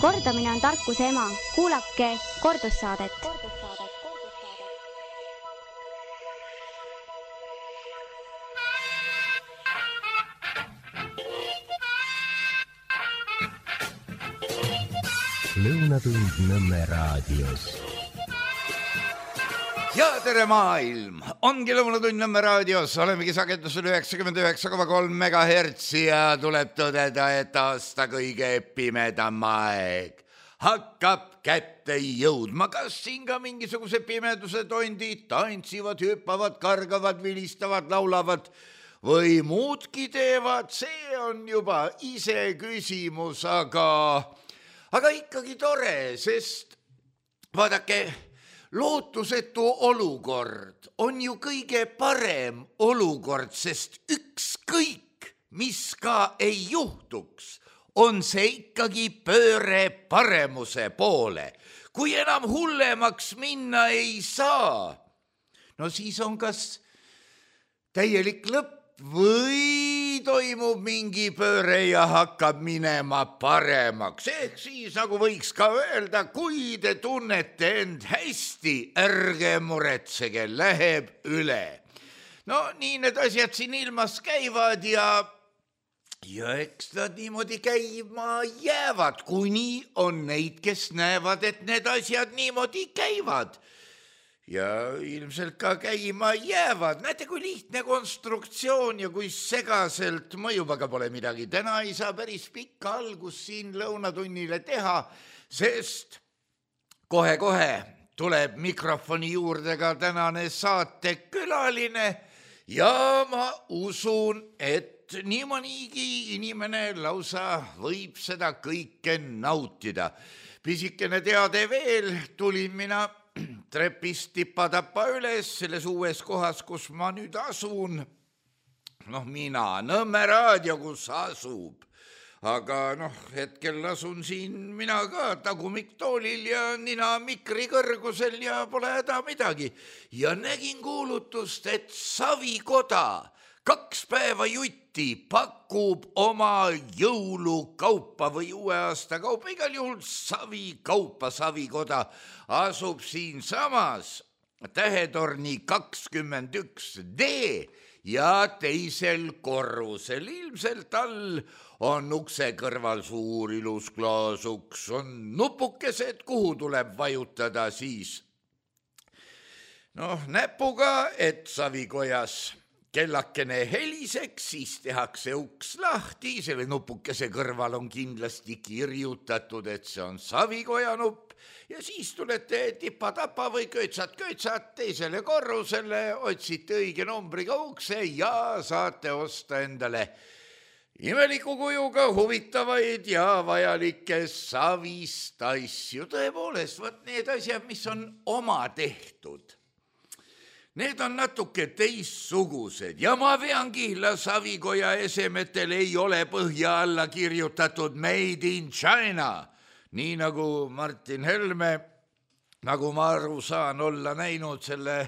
Kordamine on tarkuse ema. Kuulake kordussaadet. Lõunatund Nõmme raadios. Ja tere maailm! Ongi Lõunatund Nõmme raadios. Olemegi sagedusel 99,3 MHz ja tuleb tõdeda, et aasta kõige pimedam aeg hakkab kätte jõudma. Kas siin ka mingisuguse pimeduse tondid tantsivad, hüppavad, kargavad, vilistavad, laulavad või muudki teevad? See on juba ise küsimus, aga ikkagi tore, sest vaadake, lootusetu olukord on ju kõige parem olukord, sest ükskõik, mis ka ei juhtuks, on see ikkagi pööre paremuse poole. Kui enam hullemaks minna ei saa, no siis on kas täielik lõpp või toimub mingi pööre ja hakkab minema paremaks. Ehk siis nagu võiks ka öelda, kui te tunnete end hästi, ärge muretsege, läheb üle. No nii need asjad siin ilmas käivad ja eks nad niimoodi käima jäävad, kuni on neid, kes näevad, et need asjad niimoodi käivad. Ja ilmselt ka käima jäävad. Näete, kui lihtne konstruktsioon ja kui segaselt mõjub, aga pole midagi. Täna ei saa päris pikka algust siin lõunatunnile teha, sest kohe-kohe tuleb mikrofoni juurde ka tänane saatekülaline ja ma usun, et nii mõnigi inimene lausa võib seda kõike nautida. Pisikene teade veel, tulin mina trepist tipa-tapa üles selles uues kohas, kus ma nüüd asun. Mina, Nõmme raadio, kus asub. Aga hetkel asun siin mina ka tagumiktoolil ja nina mikri kõrgusel ja pole häda midagi. Ja nägin kuulutust, et Savikoda 2 päeva jutti pakub oma jõulukaupa või uue aasta kaupa. Igal juhul Savikaupa. Savikoda asub siin samas Tähetorni 21D ja teisel korrusel. Ilmselt all on ukse kõrval suur ilus klaasuks, on nupukesed, kuhu tuleb vajutada siis näpuga, et Savikojas kellakene heliseks, siis tehakse uks lahti, selle nupukese kõrval on kindlasti kirjutatud, et see on Savikoja nupp ja siis tulete tipa-tapa või köitsat teisele korrusele, otsite õige numbriga ukse ja saate osta endale imeliku kujuga huvitavaid ja vajalikke Savist asju. Tõepoolest, võt need asjad, mis on oma tehtud, need on natuke teissugused ja ma vean kihla, Savikoja esemetel ei ole põhja alla kirjutatud Made in China, nii nagu Martin Helme, nagu ma aru saan, olla näinud selle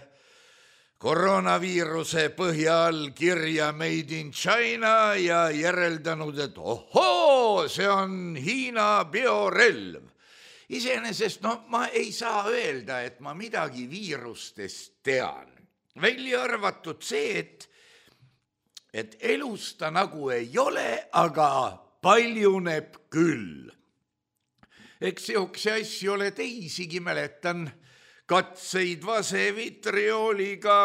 koroonaviiruse põhja all kirja Made in China ja järeldanud, et ohoo, see on Hiina biorelv. Iseenesest ma ei saa öelda, et ma midagi viirustest tean. Välja arvatud see, et elus ta nagu ei ole, aga paljuneb küll. Eks sihukese asju ole teisigi, mäletan katseid vasevitriooliga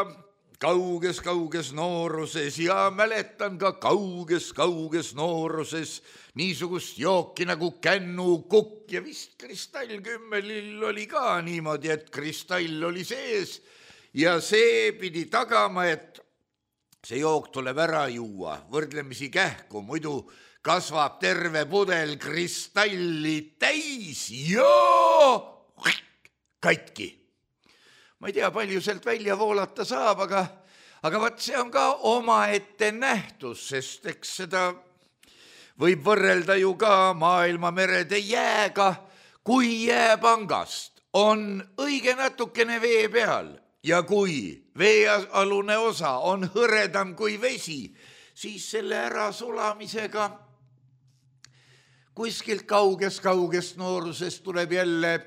kauges nooruses ja mäletan ka kauges nooruses niisugust jooki nagu kännukukk ja vist kristallkümmelil oli ka niimoodi, et kristall oli sees ja see pidi tagama, et see jook tuleb ära juua võrdlemisi kähku, muidu kasvab terve pudel kristalli täis ja katki. Ma ei tea, palju sealt välja voolata saab, aga vaat see on ka omaette nähtus, sest eks seda võib võrrelda ju ka maailmamerede jääga, kui jääpangast on õige natukene vee peal ja kui veealune osa on hõredam kui vesi, siis selle ärasulamisega kuskilt kaugest noorusest tuleb jälle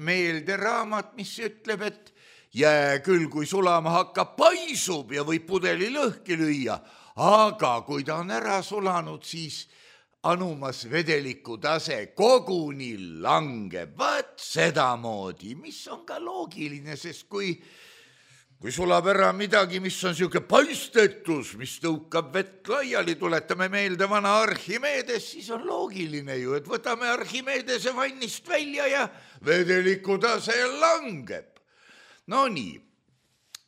meelde raamat, mis ütleb, et jää küll, kui sulama hakkab, paisub ja võib pudeli lõhki lüüa, aga kui ta on ära sulanud, siis anumas vedeliku tase koguni langeb. Vaat sedamoodi, mis on ka loogiline, sest kui sulab ära midagi, mis on siuke paistetus, mis tõukab vett laiali, tuletame meelde vana Archimedes, siis on loogiline ju, et võtame Archimedese vannist välja ja vedeliku tase langeb. No nii,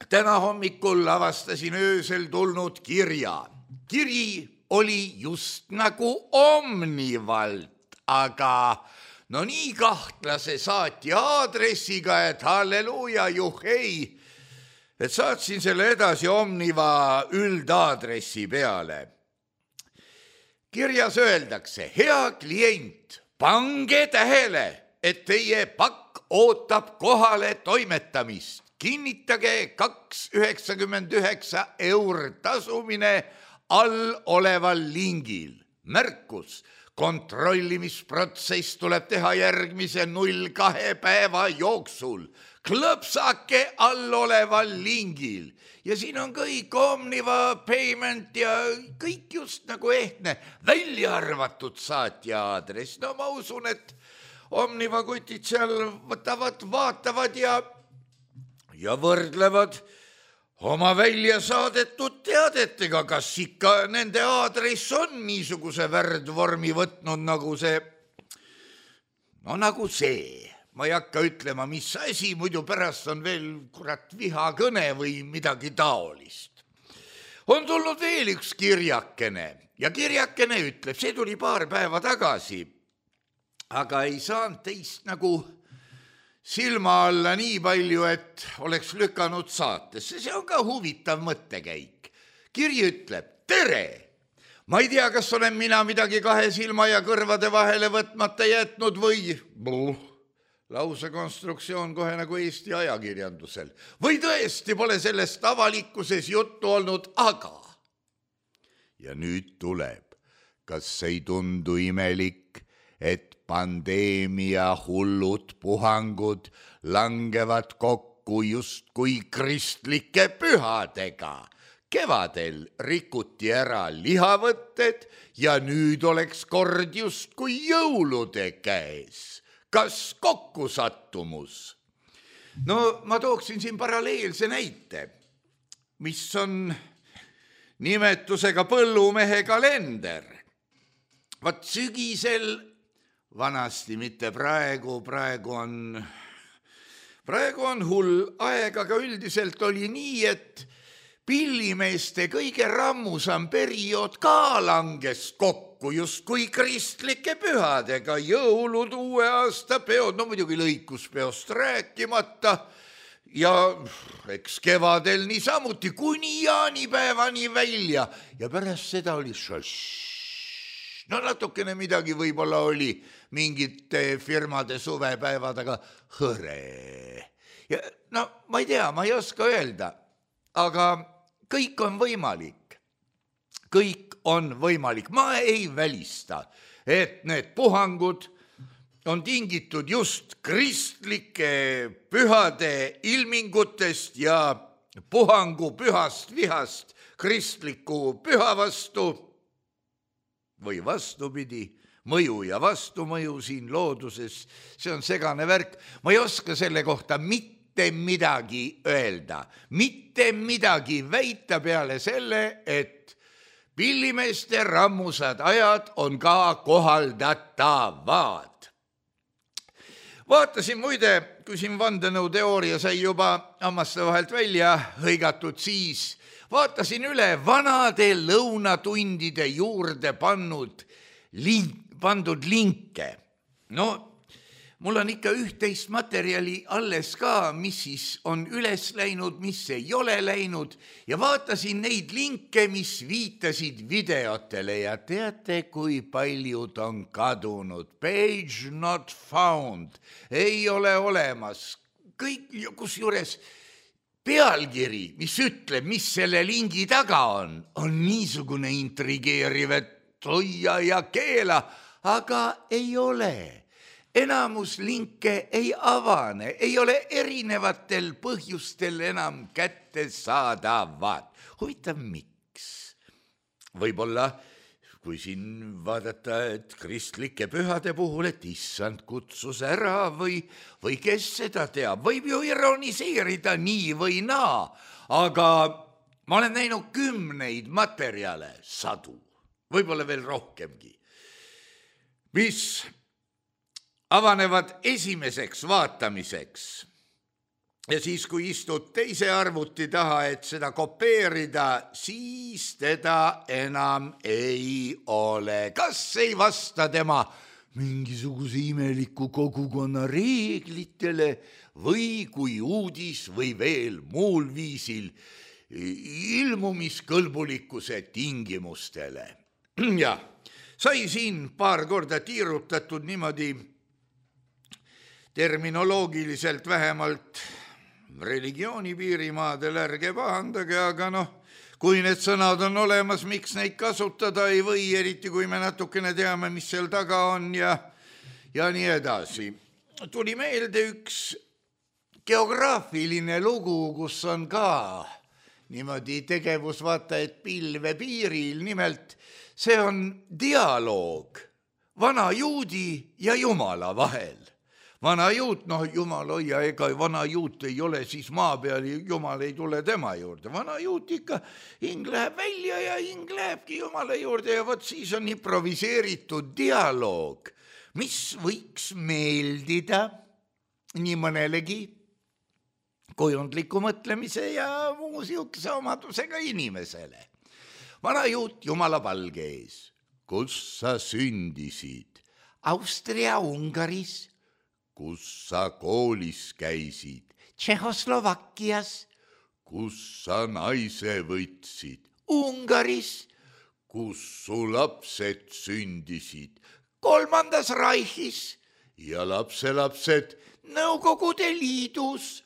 täna hommikul avastasin öösel tulnud kirja. Kiri oli just nagu Omnivalt, aga no nii kahtlase saatja aadressiga, et halleluuja, juhhei, et saatsin selle edasi Omniva üldaadressi peale. Kirjas öeldakse, hea klient, pange tähele, et teie pakk ootab kohale toimetamist. Kinnitage 2,99 € tasumine all oleval lingil. Märkus, kontrollimisprotsess tuleb teha järgmise 0-2 päeva jooksul. Klõpsake all oleval lingil. Ja siin on kõik Omniva payment ja kõik just nagu ehtne, välja arvatud saatja aadress. No ma usun, et Omniva kutid seal võtavad, vaatavad ja võrdlevad oma välja saadetud teadetega, kas ikka nende aadress on niisuguse värdvormi võtnud nagu see, no nagu see. Ma ei hakka ütlema, mis asi, muidu pärast on veel kurat vihakõne või midagi taolist. On tulnud veel üks kirjakene ja kirjakene ütleb, see tuli paar päeva tagasi, aga ei saanud teist nagu silma alla nii palju, et oleks lükanud saatesse. See on ka huvitav mõttekäik. Kiri ütleb, tere! Ma ei tea, kas olen mina midagi kahe silma ja kõrvade vahele võtmata jätnud või lause konstruktsioon kohe nagu Eesti ajakirjandusel. Või tõesti pole sellest avalikkuses juttu olnud, aga. Ja nüüd tuleb, kas ei tundu imelik, et pandeemia hullud puhangud langevad kokku justkui kristlike pühadega. Kevadel rikuti ära lihavõtted ja nüüd oleks kord justkui jõulude käes. Kas kokkusattumus? No ma tooksin siin paralleelse näite, mis on nimetusega põllumehe kalender. Vaat sügisel, vanasti mitte praegu on hull aeg, aga üldiselt oli nii, et pillimeeste kõige rammusam periood ka langes kokku justkui kristlike pühadega, jõulud, uue aasta peod, no muidugi lõikuspeost rääkimata ja eks kevadel niisamuti kuni jaanipäevani välja ja pärast seda oli no natukene midagi võib-olla oli mingite firmade suvepäevadega hõre. Ja no ma ei tea, ma ei oska öelda, aga kõik on võimalik. Kõik on võimalik. Ma ei välista, et need puhangud on tingitud just kristlike pühade ilmingutest ja puhangu pühast vihast kristliku püha vastu või vastupidi, mõju ja vastumõju siin looduses, see on segane värk. Ma ei oska selle kohta mitte midagi öelda, mitte midagi väita peale selle, et pillimeeste rammusad ajad on ka kohaldatavad. Vaatasin muide, kui siin vandenõuteooria sai juba hammaste vahelt välja hõigatud, siis vaatasin üle vanade lõunatundide juurde pandud linke. No, mul on ikka üht-teist materjali alles ka, mis siis on üles läinud, mis ei ole läinud ja vaatasin neid linke, mis viitasid videotele ja teate, kui paljud on kadunud. Page not found, ei ole olemas. Kõik, kusjuures pealkiri, mis ütleb, mis selle lingi taga on niisugune intrigeeriv, et hoia ja keela, aga ei ole. Enamus linke ei avane, ei ole erinevatel põhjustel enam kättesaadavad. Huvitav, miks? Võib-olla, kui siin vaadata, et kristlike pühade puhul, et issand kutsus ära või kes seda teab, võib ju ironiseerida nii või naa, aga ma olen näinud 10 materjale, 100, võib-olla veel rohkemgi, mis avanevad esimeseks vaatamiseks. Ja siis, kui istud teise arvuti taha, et seda kopeerida, siis teda enam ei ole. Kas ei vasta tema mingisuguse imeliku kogukonna reeglitele või kui uudis või veel muul viisil ilmumiskõlbulikkuse tingimustele. Ja sai siin paar korda tiirutatud niimoodi terminoloogiliselt vähemalt religiooni piirimaadel, ärge pahandage, aga kui need sõnad on olemas, miks neid kasutada ei või, eriti kui me natukene teame, mis seal taga on ja nii edasi. Tuli meelde üks geograafiline lugu, kus on ka niimoodi tegevus, vaata, et pilve piiril, nimelt see on dialoog vana juudi ja Jumala vahel. Vana juut, Jumal hoia, ega vana juut ei ole siis maa peal, Jumal ei tule tema juurde. Vana juut ikka, hing läheb välja ja hing lähebki Jumala juurde ja vot siis on improviseeritud dialoog, mis võiks meeldida nii mõnelegi kujundliku mõtlemise ja muu siukse omadusega inimesele. Vana juut Jumala palge ees. Kus sa sündisid? Austria-Ungaris. Kus sa koolis käisid? Tšehhoslovakkias. Kus sa naise võtsid? Ungaris. Kus su lapsed sündisid? 3. Reichis. Ja lapselapsed Nõukogude Liidus.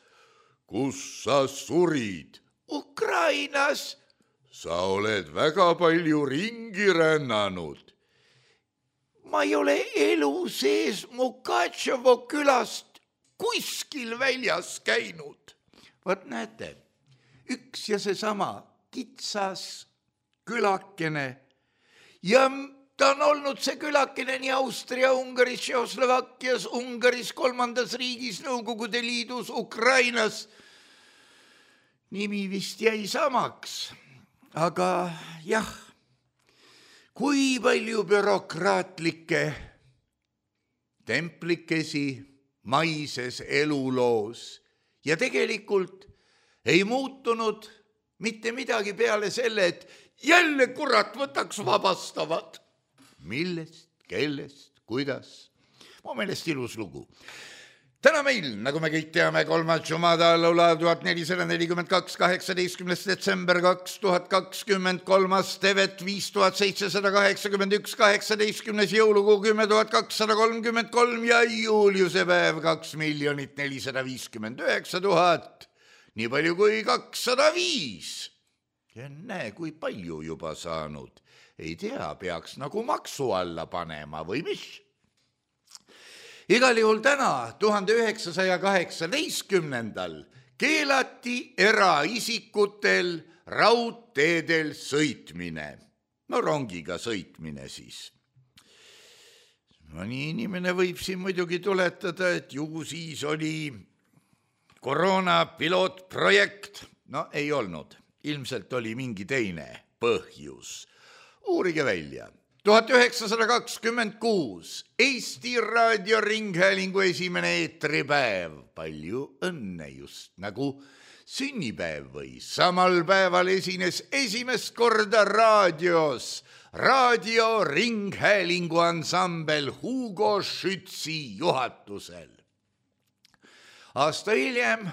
Kus sa surid? Ukrainas. Sa oled väga palju ringi rännanud. Ma ei ole elu sees Mukatševo külast kuskil väljas käinud. Vot näete, üks ja seesama kitsas külakene ja ta on olnud see külakene nii Austria, Ungaris, Tšehhoslovakkias, Ungaris, 3. riigis, Nõukogude Liidus, Ukrainas. Nimi vist jäi samaks, aga jah, kui palju bürokraatlikke templikesi maises eluloos ja tegelikult ei muutunud mitte midagi peale selle, et jälle kurat võtaks vabastavad. Millest, kellest, kuidas? Mu meelest ilus lugu. Täna meil, nagu me kõik teame, 3. Jumada laula 1442, 18. detsember 2020, 3. Tevet 5781, 18. jõulukuu 10.233 ja juuliuse päev 2 459 000, nii palju kui 205. Ja näe, kui palju juba saanud. Ei tea, peaks nagu maksu alla panema või mis? Igal juhul täna 1918 keelati eraisikutel raudteedel sõitmine. No rongiga sõitmine siis. Mõni inimene võib siin muidugi tuletada, et ju siis oli koroona pilootprojekt. No ei olnud. Ilmselt oli mingi teine põhjus. Uurige välja. 1926 Eesti raadioringhäälingu esimene eetripäev. Palju õnne, just nagu sünnipäev või. Samal päeval esines esimest korda raadios raadioringhäälingu ansambel Hugo Schützi juhatusel. Aasta hiljem,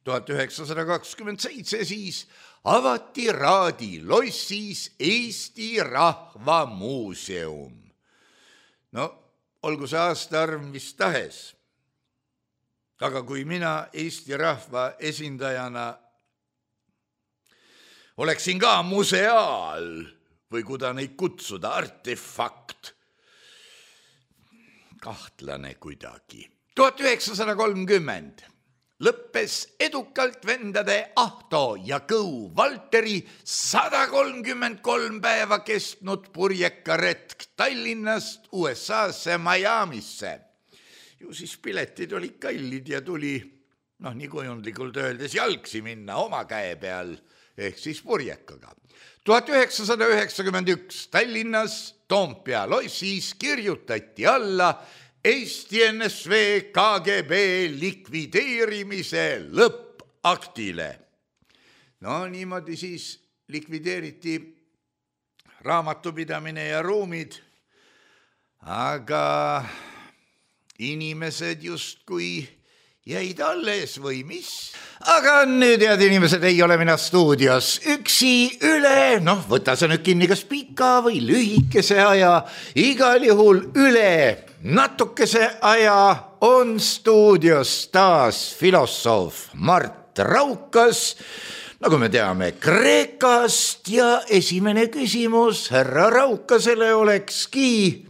1927 siis, avati Raadi lossis Eesti Rahva Muuseum. No, olgu see aastaarv mis tahes. Aga kui mina Eesti rahva esindajana oleksin ka museaal või kuda neid kutsuda, artefakt, kahtlane kuidagi. 1930 lõppes edukalt vendade Ahto ja Kõu Valteri 133 päeva kestnud purjekaretk Tallinnast USA-sse Miamisse. Ju siis piletid olid kallid ja tuli, nii kujundlikult öeldes, jalgsi minna oma käe peal, ehk siis purjekaga. 1991 Tallinnas Toompea lossis kirjutati alla Eesti NSV KGB likvideerimise lõppaktile. Niimoodi siis likvideeriti raamatupidamine ja ruumid, aga inimesed justkui jäid alles või mis? Aga nüüd, head inimesed, ei ole mina stuudios üksi üle, võta sa nüüd kinni kas pika või lühikese aja, igal juhul üle natukese aja on stuudios taas filosoof Mart Raukas, nagu me teame, Kreekast ja esimene küsimus härra Raukasele olekski,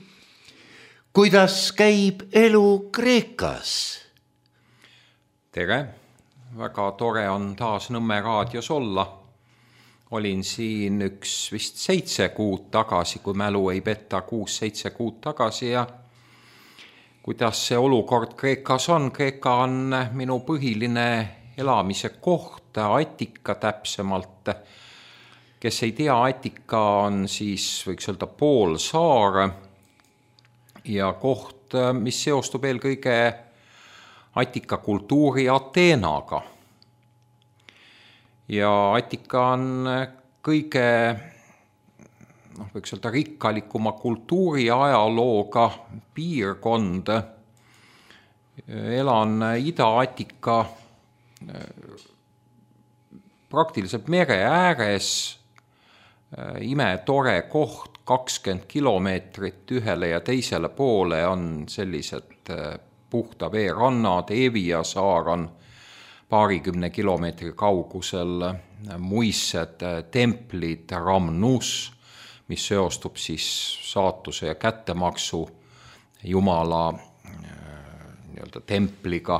kuidas käib elu Kreekas? Tere, väga tore on taas Nõmme raadios olla. Olin siin vist 7 kuud tagasi, kui mälu ei petta, 6-7 kuud tagasi ja kuidas see olukord Kreekas on? Kreeka on minu põhiline elamise koht, Attika täpsemalt. Kes ei tea, Attika on siis, võiks öelda, poolsaar ja koht, mis seostub eelkõige Attika kultuuri Ateenaga. Ja Attika on kõige, võiks öelda, rikkalikuma kultuuri ajalooga piirkond. Elan Ida-Attika praktiliselt mere ääres, imetore koht, 20 kilomeetrit ühele ja teisele poole on sellised puhta vee rannad, Evia saar on paarikümne kilomeetri kaugusel, muissed templid, Ramnus, mis seostub siis saatuse ja kättemaksu Jumala templiga,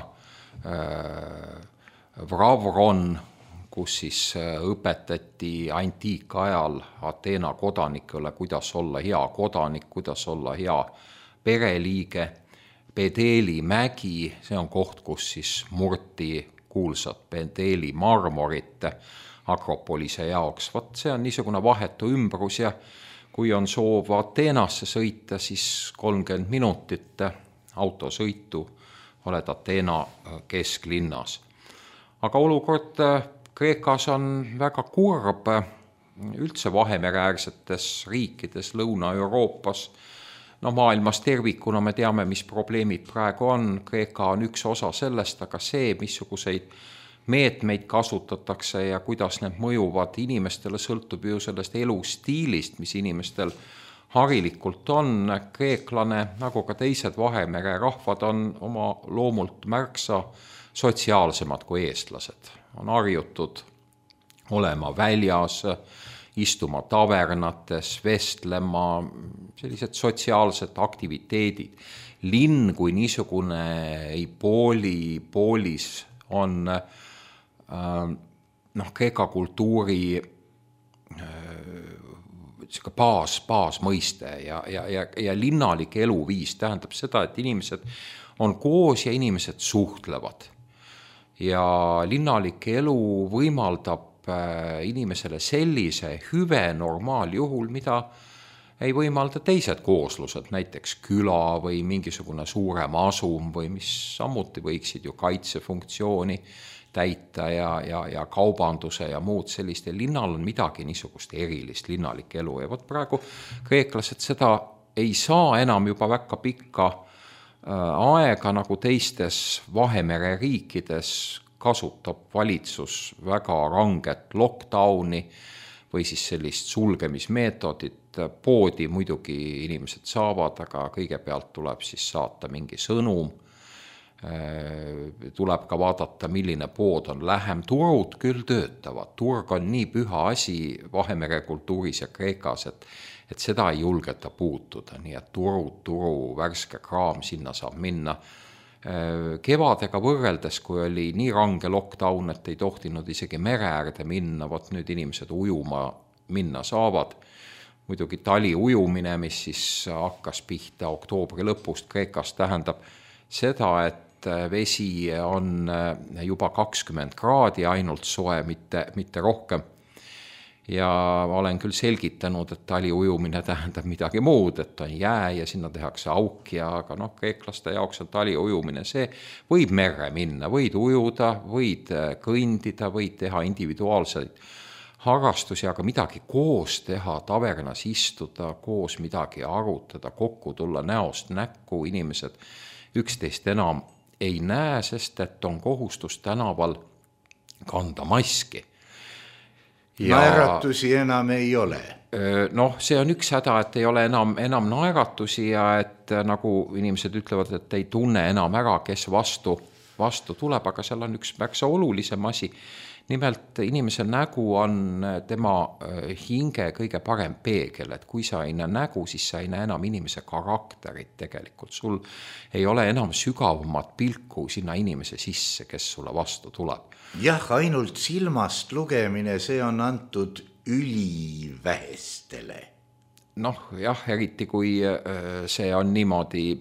Vravron, kus siis õpetati antiikajal Ateena kodanikele, kuidas olla hea kodanik, kuidas olla hea pereliige. Pedeli mägi, see on koht, kus siis murti kuulsat Pedeli marmorit Akropolise jaoks. See on niisugune vahetu ümbrus ja kui on soov Ateenasse sõita, siis 30 minutit autosõitu oled Ateena kesklinnas. Aga olukord Kreekas on väga kurb, üldse Vahemereäärsetes riikides Lõuna-Euroopas. Maailmas tervikuna me teame, mis probleemid praegu on. Kreeka on üks osa sellest, aga see, missuguseid meetmeid kasutatakse ja kuidas need mõjuvad inimestele, sõltub ju sellest elustiilist, mis inimestel harilikult on. Kreeklane, nagu ka teised Vahemere rahvad, on oma loomult märksa sotsiaalsemad kui eestlased. On harjutud olema väljas, istuma tavernates, vestlema, sellised sotsiaalsed aktiviteedid. Linn kui niisugune ei poolis on Kreeka kultuuri baasmõiste ja linnalik eluviis tähendab seda, et inimesed on koos ja inimesed suhtlevad. Ja linnalik elu võimaldab inimesele sellise hüve normaaljuhul, mida ei võimalda teised kooslused, näiteks küla või mingisugune suurem asum või mis samuti võiksid ju kaitsefunktsiooni täita ja kaubanduse ja muud sellist. Linnal on midagi niisugust erilist, linnalik elu. Ja praegu kreeklased seda ei saa enam juba väga pikka aega nagu teistes Vahemere riikides. Kasutab valitsus väga ranget lockdowni või siis sellist sulgemismeetodit. Poodi muidugi inimesed saavad, aga kõigepealt tuleb siis saata mingi sõnum. Tuleb ka vaadata, milline pood on lähem. Turud küll töötavad. Turg on nii püha asi Vahemere kultuuris ja Kreekas, et et seda ei julgeta puutuda, nii et turu värske kraam sinna saab minna. Kevadega võrreldes, kui oli nii range lockdown, et ei tohtinud isegi mere äärde minna, vot nüüd inimesed ujuma minna saavad. Muidugi tali ujumine, mis siis hakkas pihta oktoobri lõpust Kreekas, tähendab seda, et vesi on juba 20 kraadi ainult soe, mitte rohkem. Ja olen küll selgitanud, et tali ujumine tähendab midagi muud, et on jää ja sinna tehakse auk aga kreeklaste jaoks on tali ujumine. See võib merre minna, võid ujuda, võid kõndida, võid teha individuaalseid harrastusi, aga midagi koos teha, tavernas istuda, koos midagi arutada, kokku tulla näost näkku, inimesed üksteist enam ei näe, sest et on kohustus tänaval kanda maski. Naeratusi enam ei ole. See on üks häda, et ei ole enam naeratusi ja et nagu inimesed ütlevad, et ei tunne enam ära, kes vastu tuleb, aga seal on üks märksa olulisem asi. Nimelt inimese nägu on tema hinge kõige parem peegel, et kui sa ei näe nägu, siis sa ei näe enam inimese karakterit tegelikult. Sul ei ole enam sügavamat pilku sinna inimese sisse, kes sulle vastu tuleb. Jah, ainult silmast lugemine, see on antud ülivähestele. Jah, eriti kui see on niimoodi,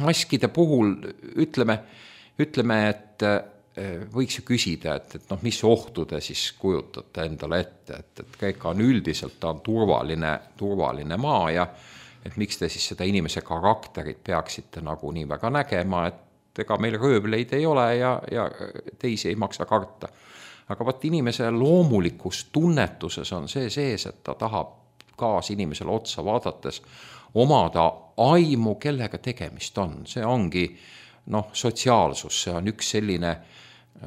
maskide puhul ütleme, et võiks ju küsida, et mis ohtu te siis kujutate endale ette, et Kreeka on üldiselt, ta on turvaline maa ja et miks te siis seda inimese karakterit peaksite nagu nii väga nägema, et ega meil röövleid ei ole ja teisi ei maksa karta. Aga vaat inimese loomulikus tunnetuses on see sees, et ta tahab kaas inimesele otsa vaadates omada aimu, kellega tegemist on. See ongi sotsiaalsus, see on üks selline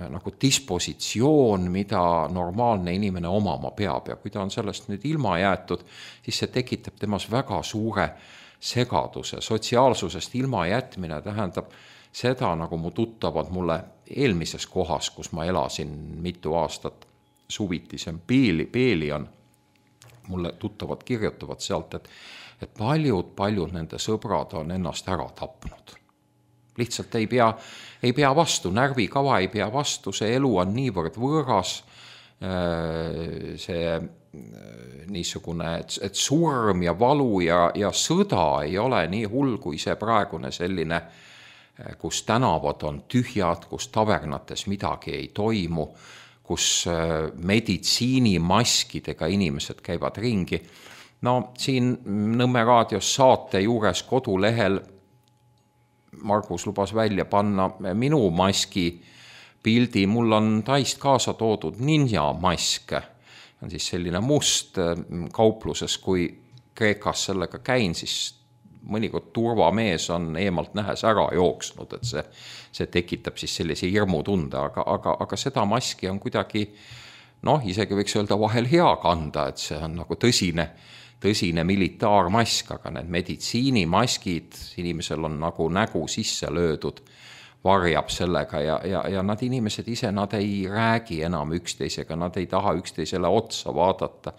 nagu dispositsioon, mida normaalne inimene omama peab ja kui ta on sellest nüüd ilma jäetud, siis see tekitab temas väga suure segaduse. Sotsiaalsusest ilma jätmine tähendab seda, nagu mu tuttavad mulle eelmises kohas, kus ma elasin mitu aastat suviti, see on Peelion, mulle tuttavad kirjutavad sealt, et paljud nende sõbrad on ennast ära tapnud. Lihtsalt ei pea vastu, närvikava ei pea vastu, see elu on niivõrd võõras, see niisugune, et surm ja valu ja sõda ei ole nii hull kui see praegune selline, kus tänavad on tühjad, kus tavernates midagi ei toimu, kus meditsiinimaskidega inimesed käivad ringi. Siin Nõmme raadios saate juures kodulehel Margus lubas välja panna minu maski pildi, mul on Taist kaasa toodud ninja mask, on siis selline must kaupluses, kui Kreekas sellega käin, siis mõnikord turvamees on eemalt nähes ära jooksnud, et see tekitab siis sellise hirmutunde, aga seda maski on kuidagi, isegi võiks öelda vahel hea kanda, et see on nagu tõsine militaarmask, aga need meditsiinimaskid, inimesel on nagu nägu sisse löödud, varjab sellega ja nad inimesed ise, nad ei räägi enam üksteisega, nad ei taha üksteisele otsa vaadata.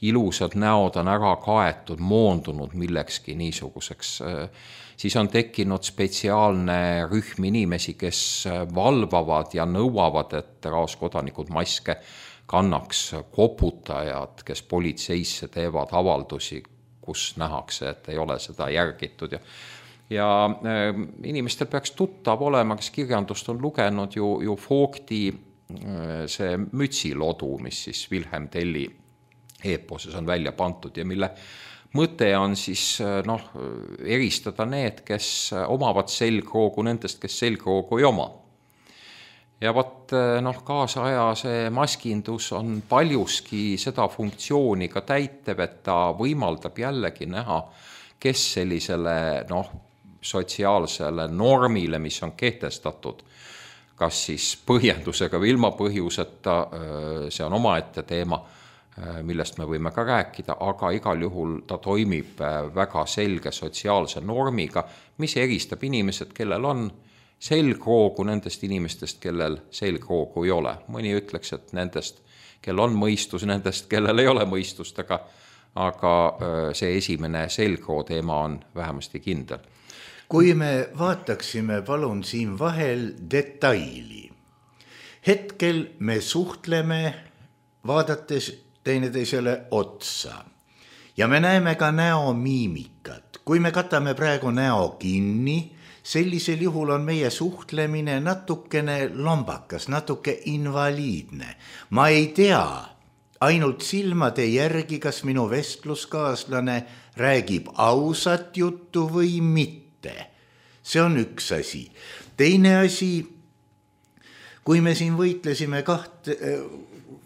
Ilusad näod on ära kaetud, moondunud millekski niisuguseks. Siis on tekkinud spetsiaalne rühm inimesi, kes valvavad ja nõuavad, et raaskodanikud maske kannaks, koputajad, kes politseisse teevad avaldusi, kus nähakse, et ei ole seda järgitud. Ja inimestel peaks tuttav olema, kes kirjandust on lugenud ju Vogti see mütsilodu, mis siis Wilhelm Telli eeposes on välja pantud ja mille mõte on siis eristada need, kes omavad selgroogu nendest, kes selgroogu ei oma. Ja kaasaja see maskindus on paljuski seda funktsiooni ka täitev, et ta võimaldab jällegi näha, kes sellisele sotsiaalsele normile, mis on kehtestatud, kas siis põhjendusega või ilma põhjuseta, see on omaette teema, millest me võime ka rääkida, aga igal juhul ta toimib väga selge sotsiaalse normiga, mis eristab inimesed, kellel on selgroogu nendest inimestest, kellel selgroogu ei ole. Mõni ütleks, et nendest, kel on mõistus, nendest, kellel ei ole mõistust, aga see esimene selgroo teema on vähemasti kindel. Kui me vaataksime palun siin vahel detaili. Hetkel me suhtleme vaadates teineteisele otsa ja me näeme ka näomiimikat. Kui me katame praegu näo kinni, sellisel juhul on meie suhtlemine natukene lombakas, natuke invaliidne. Ma ei tea ainult silmade järgi, kas minu vestluskaaslane räägib ausat juttu või mitte. See on üks asi. Teine asi, kui me siin võitlesime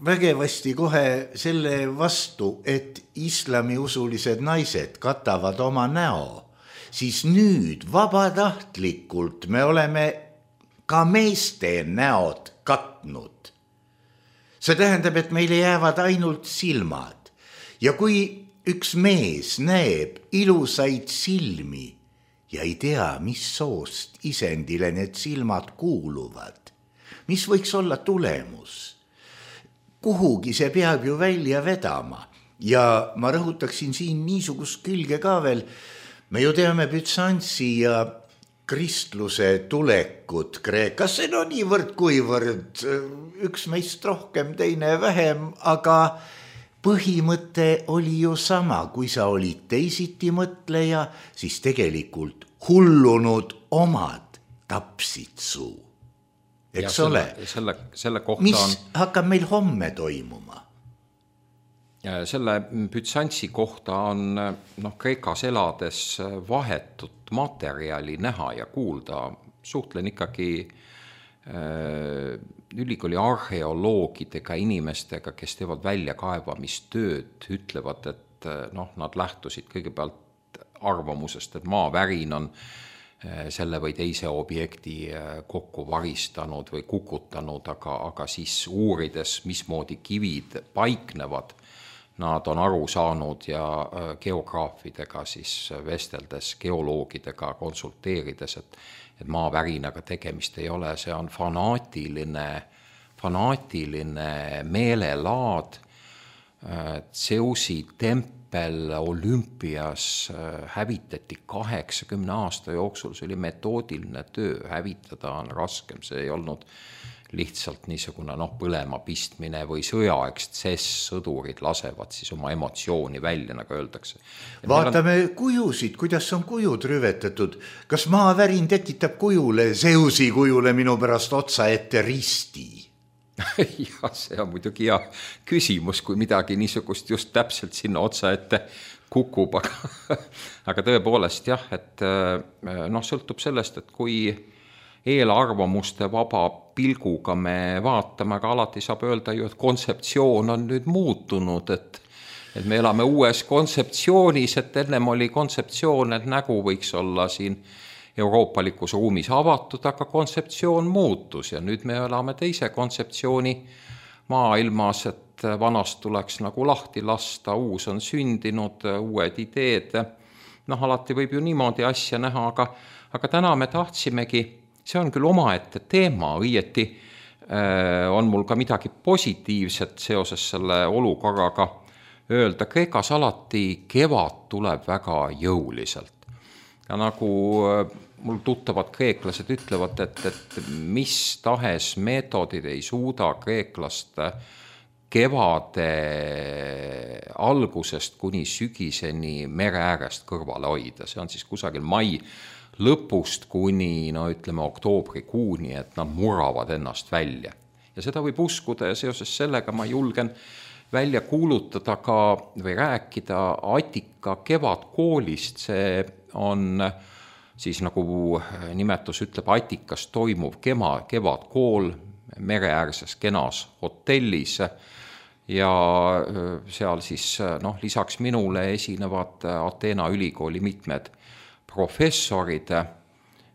vägevasti kohe selle vastu, et islamiusulised naised katavad oma näo, siis nüüd vabatahtlikult me oleme ka meeste näod katnud. See tähendab, et meile jäävad ainult silmad. Ja kui üks mees näeb ilusaid silmi ja ei tea, mis soost isendile need silmad kuuluvad, mis võiks olla tulemus? Kuhugi see peab ju välja vedama. Ja ma rõhutaksin siin niisugust külge ka veel. Me ju teame Bütsantsi ja kristluse tulekut Kreekasse, no niivõrd kuivõrd, üks meist rohkem, teine vähem, aga põhimõte oli ju sama. Kui sa olid teisiti mõtleja, siis tegelikult hullunud omad tapsid suu. Eks ole? Selle kohta mis hakkab meil homme toimuma? Selle Bütsantsi kohta on Kreekas elades vahetut materjali näha ja kuulda. Suhtlen ikkagi ülikooli arheoloogidega, inimestega, kes teevad väljakaevamistööd, ütlevad, et nad lähtusid kõigepealt arvamusest, et maavärin on selle või teise objekti kokku varistanud või kukutanud, aga siis uurides, mismoodi kivid paiknevad, nad on aru saanud ja geograafidega siis vesteldes, geoloogidega konsulteerides, et maavärinaga tegemist ei ole, see on fanaatiline meelelaad. Zeusi tempel Olümpias hävitati 80 aasta jooksul, see oli metoodiline töö, hävitada on raskem, see ei olnud lihtsalt niisugune põlema pistmine või sõjaekstsess, sõdurid lasevad siis oma emotsiooni välja, nagu öeldakse. Vaatame kujusid, kuidas on kujud rüvetatud. Kas maavärin tekitab kujule, Zeusi kujule minu pärast otsa ette risti? Ja see on muidugi hea küsimus, kui midagi niisugust just täpselt sinna otsa ette kukub, aga tõepoolest jah, et sõltub sellest, et kui eelarvamuste vaba pilguga me vaatame, aga alati saab öelda ju, et kontseptsioon on nüüd muutunud, et me elame uues kontseptsioonis, et ennem oli kontseptsioon, et nägu võiks olla siin euroopalikus ruumis avatud, aga kontseptsioon muutus ja nüüd me elame teise kontseptsiooni maailmas, et vanast tuleks nagu lahti lasta, uus on sündinud, uued ideed. Alati võib ju niimoodi asja näha, aga täna me tahtsimegi, see on küll omaette teema, õieti on mul ka midagi positiivset seoses selle olukorraga öelda. Kreekas alati kevad tuleb väga jõuliselt. Ja nagu mul tuttavad kreeklased ütlevad, et mis tahes meetodid ei suuda kreeklast kevade algusest kuni sügiseni mere äärest kõrvale hoida. See on siis kusagil mai lõpust kuni, oktoobrikuuni, et nad muravad ennast välja. Ja seda võib uskuda ja seoses sellega ma julgen välja kuulutada ka või rääkida Attika kevadkoolist. See on siis nagu nimetus ütleb, Attikas toimuv kevadkool mereäärses kenas hotellis ja seal siis lisaks minule esinevad Ateena ülikooli mitmed professorid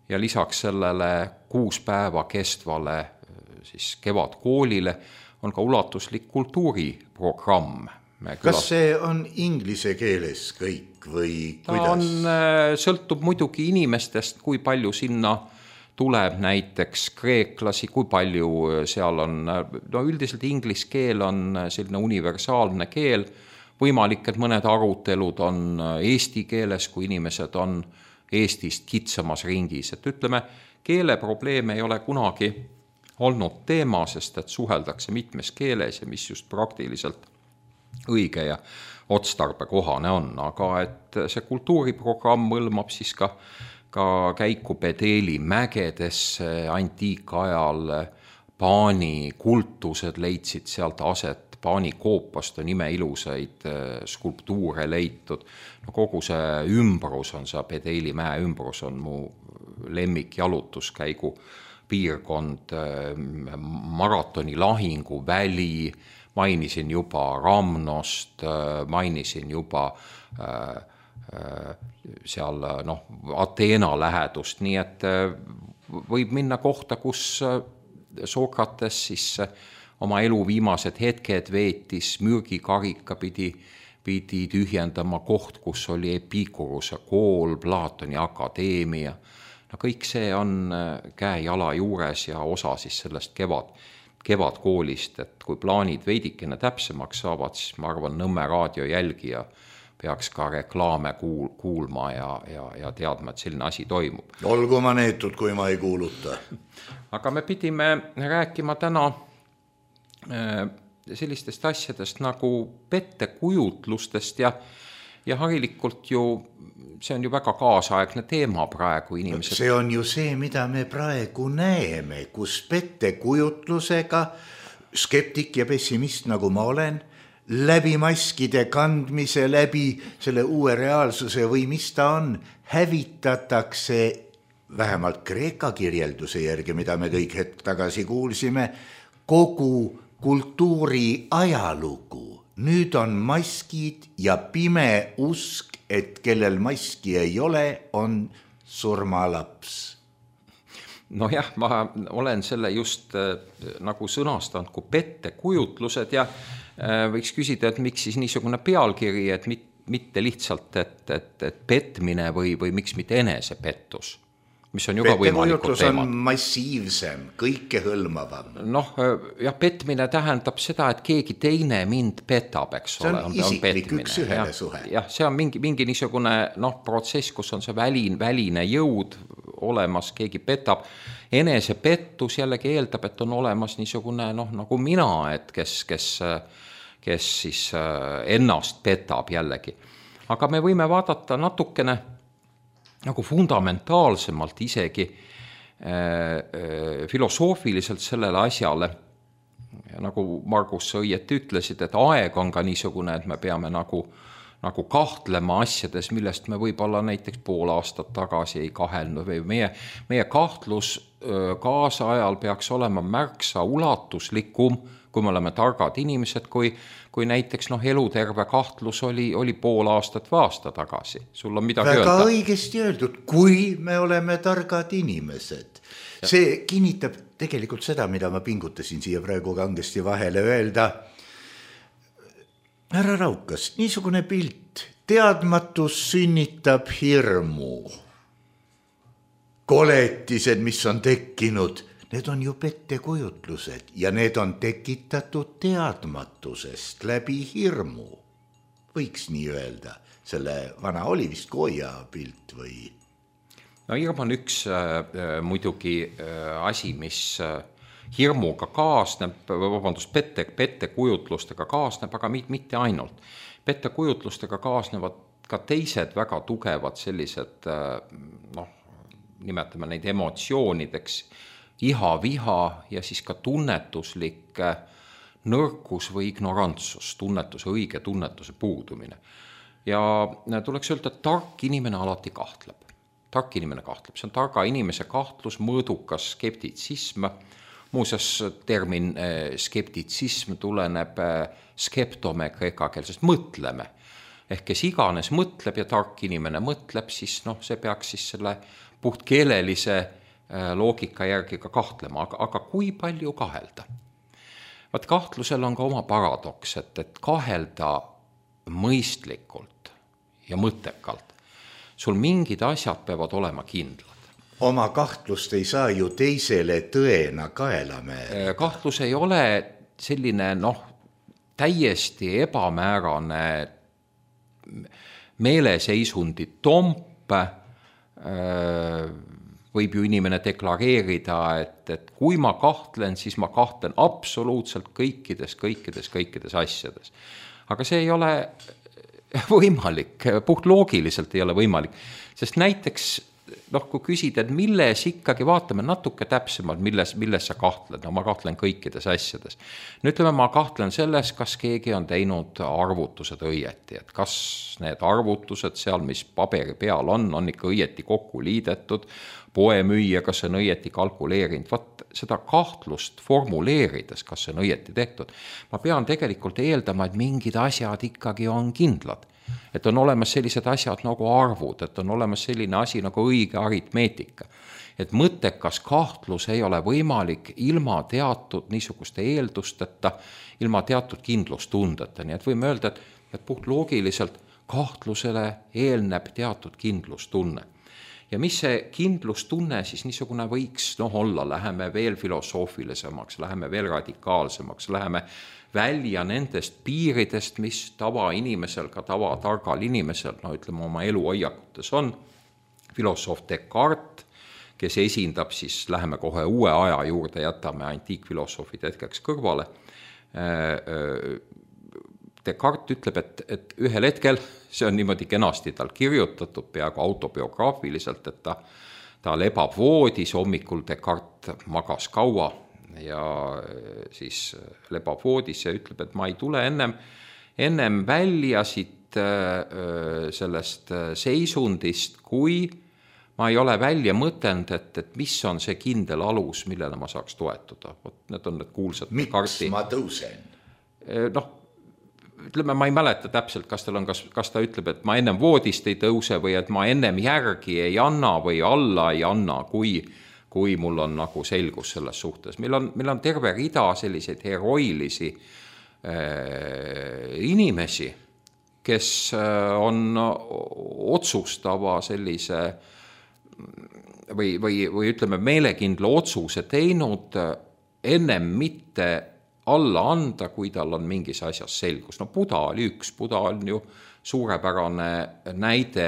ja lisaks sellele 6 päeva kestvale siis kevadkoolile on ka ulatuslik kultuuriprogramm. Kas see on inglise keeles kõik või kuidas? Sõltub muidugi inimestest, kui palju sinna tuleb näiteks kreeklasi, kui palju seal on, üldiselt inglise keel on selline universaalne keel, võimalik, et mõned arutelud on eesti keeles, kui inimesed on Eestist kitsamas ringis. Et ütleme, keeleprobleem ei ole kunagi olnud teema, sest et suheldakse mitmes keeles ja mis just praktiliselt õige ja otstarbekohane on. Aga et see kultuuriprogramm hõlmab siis ka käiku Pedeeli mägedesse antiikajal, Paani kultused leidsid sealt aset, Paani koopast on imeilusaid skulptuure leitud. No kogu see ümbrus on, see Pedeeli mäe ümbrus on mu lemmik jalutuskäigu piirkond, maratoni lahingu väli, mainisin juba Ramnost, mainisin juba seal Ateena lähedust, nii et võib minna kohta, kus Sokrates siis oma elu viimased hetked veetis, mürgikarika pidi tühjendama koht, kus oli Epikuruse kool, Platoni akadeemia. No kõik see on käe-jala juures ja osa siis sellest kevadkoolist, et kui plaanid veidikene täpsemaks saavad, siis ma arvan, Nõmme raadio jälgija peaks ka reklaame kuulma ja teadma, et selline asi toimub. Olgu ma neetud, kui ma ei kuuluta. Aga me pidime rääkima täna sellistest asjadest nagu pettekujutlustest ja harilikult ju, see on ju väga kaasaegne teema praegu inimesed. See on ju see, mida me praegu näeme, kus pettekujutlusega skeptik ja pessimist, nagu ma olen, läbi maskide kandmise, läbi selle uue reaalsuse või mis ta on, hävitatakse vähemalt Kreeka kirjelduse järgi, mida me kõik hetk tagasi kuulsime, kogu kultuuri ajalugu. Nüüd on maskid ja pime usk, et kellel maski ei ole, on surmalaps. No jah, ma olen selle just nagu sõnastanud kui pettekujutlused ja võiks küsida, et miks siis niisugune pealkiri, et mitte lihtsalt, et petmine või miks mitte enesepettus, mis on ju ka võimalikud teemad. Pettekujutlused on massiivsem, kõike hõlmavam. Noh, jah, petmine tähendab seda, et keegi teine mind petab, eks ole. See on isiklik üks ühele suhe. Jah, see on mingi niisugune protsess, kus on see väline jõud olemas, keegi petab. Enesepettus jällegi eeldab, et on olemas niisugune nagu mina, et kes siis ennast petab jällegi. Aga me võime vaadata natukene nagu fundamentaalsemalt isegi filosoofiliselt sellele asjale. Ja nagu Margus õieti ütlesid, et aeg on ka niisugune, et me peame nagu kahtlema asjades, millest me võib-olla näiteks pool aastat tagasi ei kahelnud või meie kahtlus kaasajal peaks olema märksa ulatuslikum, kui me oleme targad inimesed, kui näiteks eluterve kahtlus oli pool aastat või aasta tagasi. Sul on midagi väga öelda? Õigesti öeldud, kui me oleme targad inimesed. See kinnitab tegelikult seda, mida ma pingutasin siia praegu kangesti vahele öelda. Härra Raukas, niisugune pilt, teadmatus sünnitab hirmu. Koletised, mis on tekkinud, need on ju pettekujutlused ja need on tekitatud teadmatusest läbi hirmu. Võiks nii öelda, selle vana oli vist Goya pilt või? No hirm on üks muidugi asi, mis hirmuga kaasneb, pettekujutlustega kaasneb, aga mitte ainult. Pettekujutlustega kaasnevad ka teised väga tugevad sellised, nimetame neid emotsioonideks, iha, viha ja siis ka tunnetuslik nõrkus või ignorantsus, õige tunnetuse puudumine. Ja tuleks öelda, et tark inimene alati kahtleb. See on targa inimese kahtlus, mõõdukas skeptitsism. Muuseas, termin skeptitsism tuleneb skeptome kreekakeelsest mõtleme. Ehk kes iganes mõtleb ja tark inimene mõtleb, siis see peaks siis selle puhtkeelelise loogika järgi ka kahtlema, aga kui palju kahelda? Vaat kahtlusel on ka oma paradoks, et kahelda mõistlikult ja mõttekalt. Sul mingid asjad peavad olema kindlad. Oma kahtlust ei saa ju teisele tõena kaela määrida. Kahtlus ei ole selline täiesti ebamäärane meeleseisundi tomp, võib ju inimene deklareerida, et kui ma kahtlen, siis ma kahtlen absoluutselt kõikides asjades. Aga see ei ole võimalik, puhtloogiliselt ei ole võimalik, sest näiteks kui küsida, et milles ikkagi, vaatame natuke täpsemalt, milles sa kahtlen, no ma kahtlen kõikides asjades. Nüüd ütleme, ma kahtlen selles, kas keegi on teinud arvutused õieti, et kas need arvutused seal, mis paberi peal on ikka õieti kokku liidetud, poemüüja, kas see on õieti kalkuleerinud, vaat seda kahtlust formuleerides, kas see on õieti tehtud, ma pean tegelikult eeldama, et mingid asjad ikkagi on kindlad. Et on olemas sellised asjad nagu arvud, et on olemas selline asi nagu õige aritmeetika. Et mõttekas kahtlus ei ole võimalik ilma teatud niisuguste eeldusteta, ilma teatud kindlustundeta. Nii et võime öelda, et puhtloogiliselt kahtlusele eelneb teatud kindlustunne. Ja mis see kindlustunne siis niisugune võiks olla, läheme veel filosoofilisemaks, läheme veel radikaalsemaks, läheme välja nendest piiridest, mis tavainimesel, ka tavatargal inimesel, ütleme oma eluhoiakutes on. Filosoof Descartes, kes esindab siis, läheme kohe uue aja juurde, jätame antiikfilosoofid hetkeks kõrvale. Descartes ütleb, et ühel hetkel, see on niimoodi kenasti tal kirjutatud peaaegu autobiograafiliselt, et ta lebab voodis, hommikul Descartes magas kaua, ja siis lebab voodis ja ütleb, et ma ei tule ennem välja siit sellest seisundist, kui ma ei ole välja mõtelnud, et mis on see kindel alus, millele ma saaks toetuda. Need on need kuulsad. Miks ma tõusen? Ütleme, ma ei mäleta täpselt, kas ta ütleb, et ma ennem voodist ei tõuse või et ma ennem järgi ei anna või alla ei anna, kui mul on nagu selgus selles suhtes. Meil on terve rida selliseid heroilisi inimesi, kes on otsustava sellise või ütleme meelekindla otsuse teinud ennem mitte alla anda, kui tal on mingis asjas selgus. Buda oli üks, Buda on ju suurepärane näide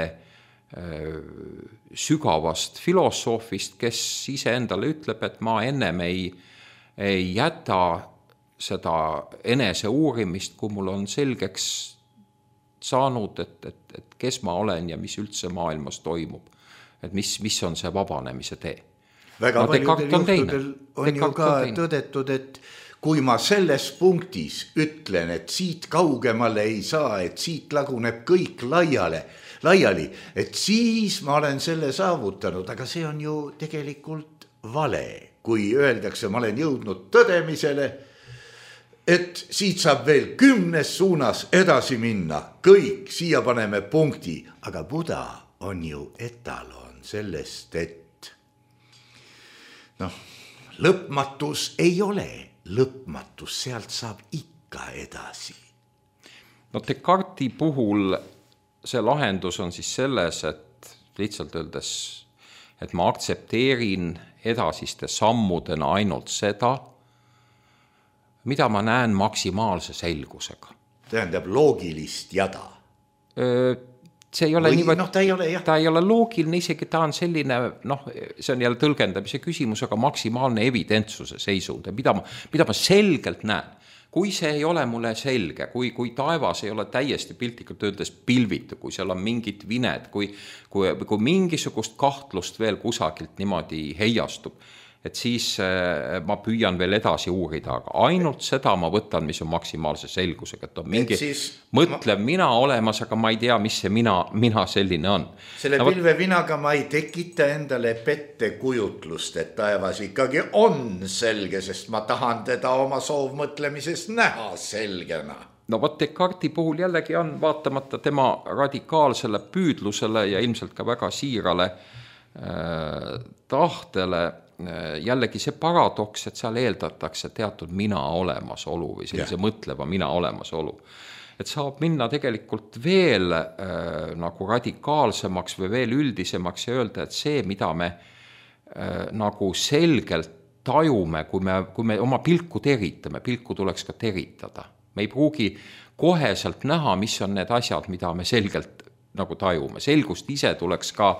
sügavast filosoofist, kes ise endale ütleb, et ma ennem ei jäta seda enese uurimist, kui mul on selgeks saanud, et kes ma olen ja mis üldse maailmas toimub. Et mis on see vabanemise tee. Väga paljudel juhtudel on ju ka tõdetud, et kui ma selles punktis ütlen, et siit kaugemale ei saa, et siit laguneb kõik laiali, et siis ma olen selle saavutanud, aga see on ju tegelikult vale. Kui öeldakse, ma olen jõudnud tõdemisele, et siit saab veel 10 suunas edasi minna, kõik, siia paneme punkti, aga Buda on ju etalon sellest, et lõpmatus ei ole lõpmatus, sealt saab ikka edasi. Descartesi puhul see lahendus on siis selles, et lihtsalt öeldes, et ma aktsepteerin edasiste sammudena ainult seda, mida ma näen maksimaalse selgusega. Tähendab loogilist jada. See ei ole ta ei ole loogiline, isegi ta on selline, see on jälle tõlgendamise küsimus, aga maksimaalne evidentsuse seisund, mida ma selgelt näen. Kui see ei ole mulle selge, kui taevas ei ole täiesti piltlikult öeldes pilvitu, kui seal on mingid vined, kui mingisugust kahtlust veel kusagilt niimoodi heiastub, et siis ma püüan veel edasi uurida, aga ainult seda ma võtan, mis on maksimaalse selgusega, et on mingi mõtlev mina olemas, aga ma ei tea, mis see mina selline on. Selle pilvevinaga ma ei tekita endale pettekujutlust, et taevas ikkagi on selge, sest ma tahan teda oma soovmõtlemises näha selgena. Descartesi puhul jällegi on vaatamata tema radikaalsele püüdlusele ja ilmselt ka väga siirale tahtele jällegi see paradoks, et seal eeldatakse teatud mina olemasolu või sellise mõtleva mina olemasolu. Et saab minna tegelikult veel nagu radikaalsemaks või veel üldisemaks ja öelda, et see, mida me nagu selgelt tajume, kui me oma pilku teritame, pilku tuleks ka teritada. Me ei pruugi koheselt näha, mis on need asjad, mida me selgelt nagu tajume. Selgust ise tuleks ka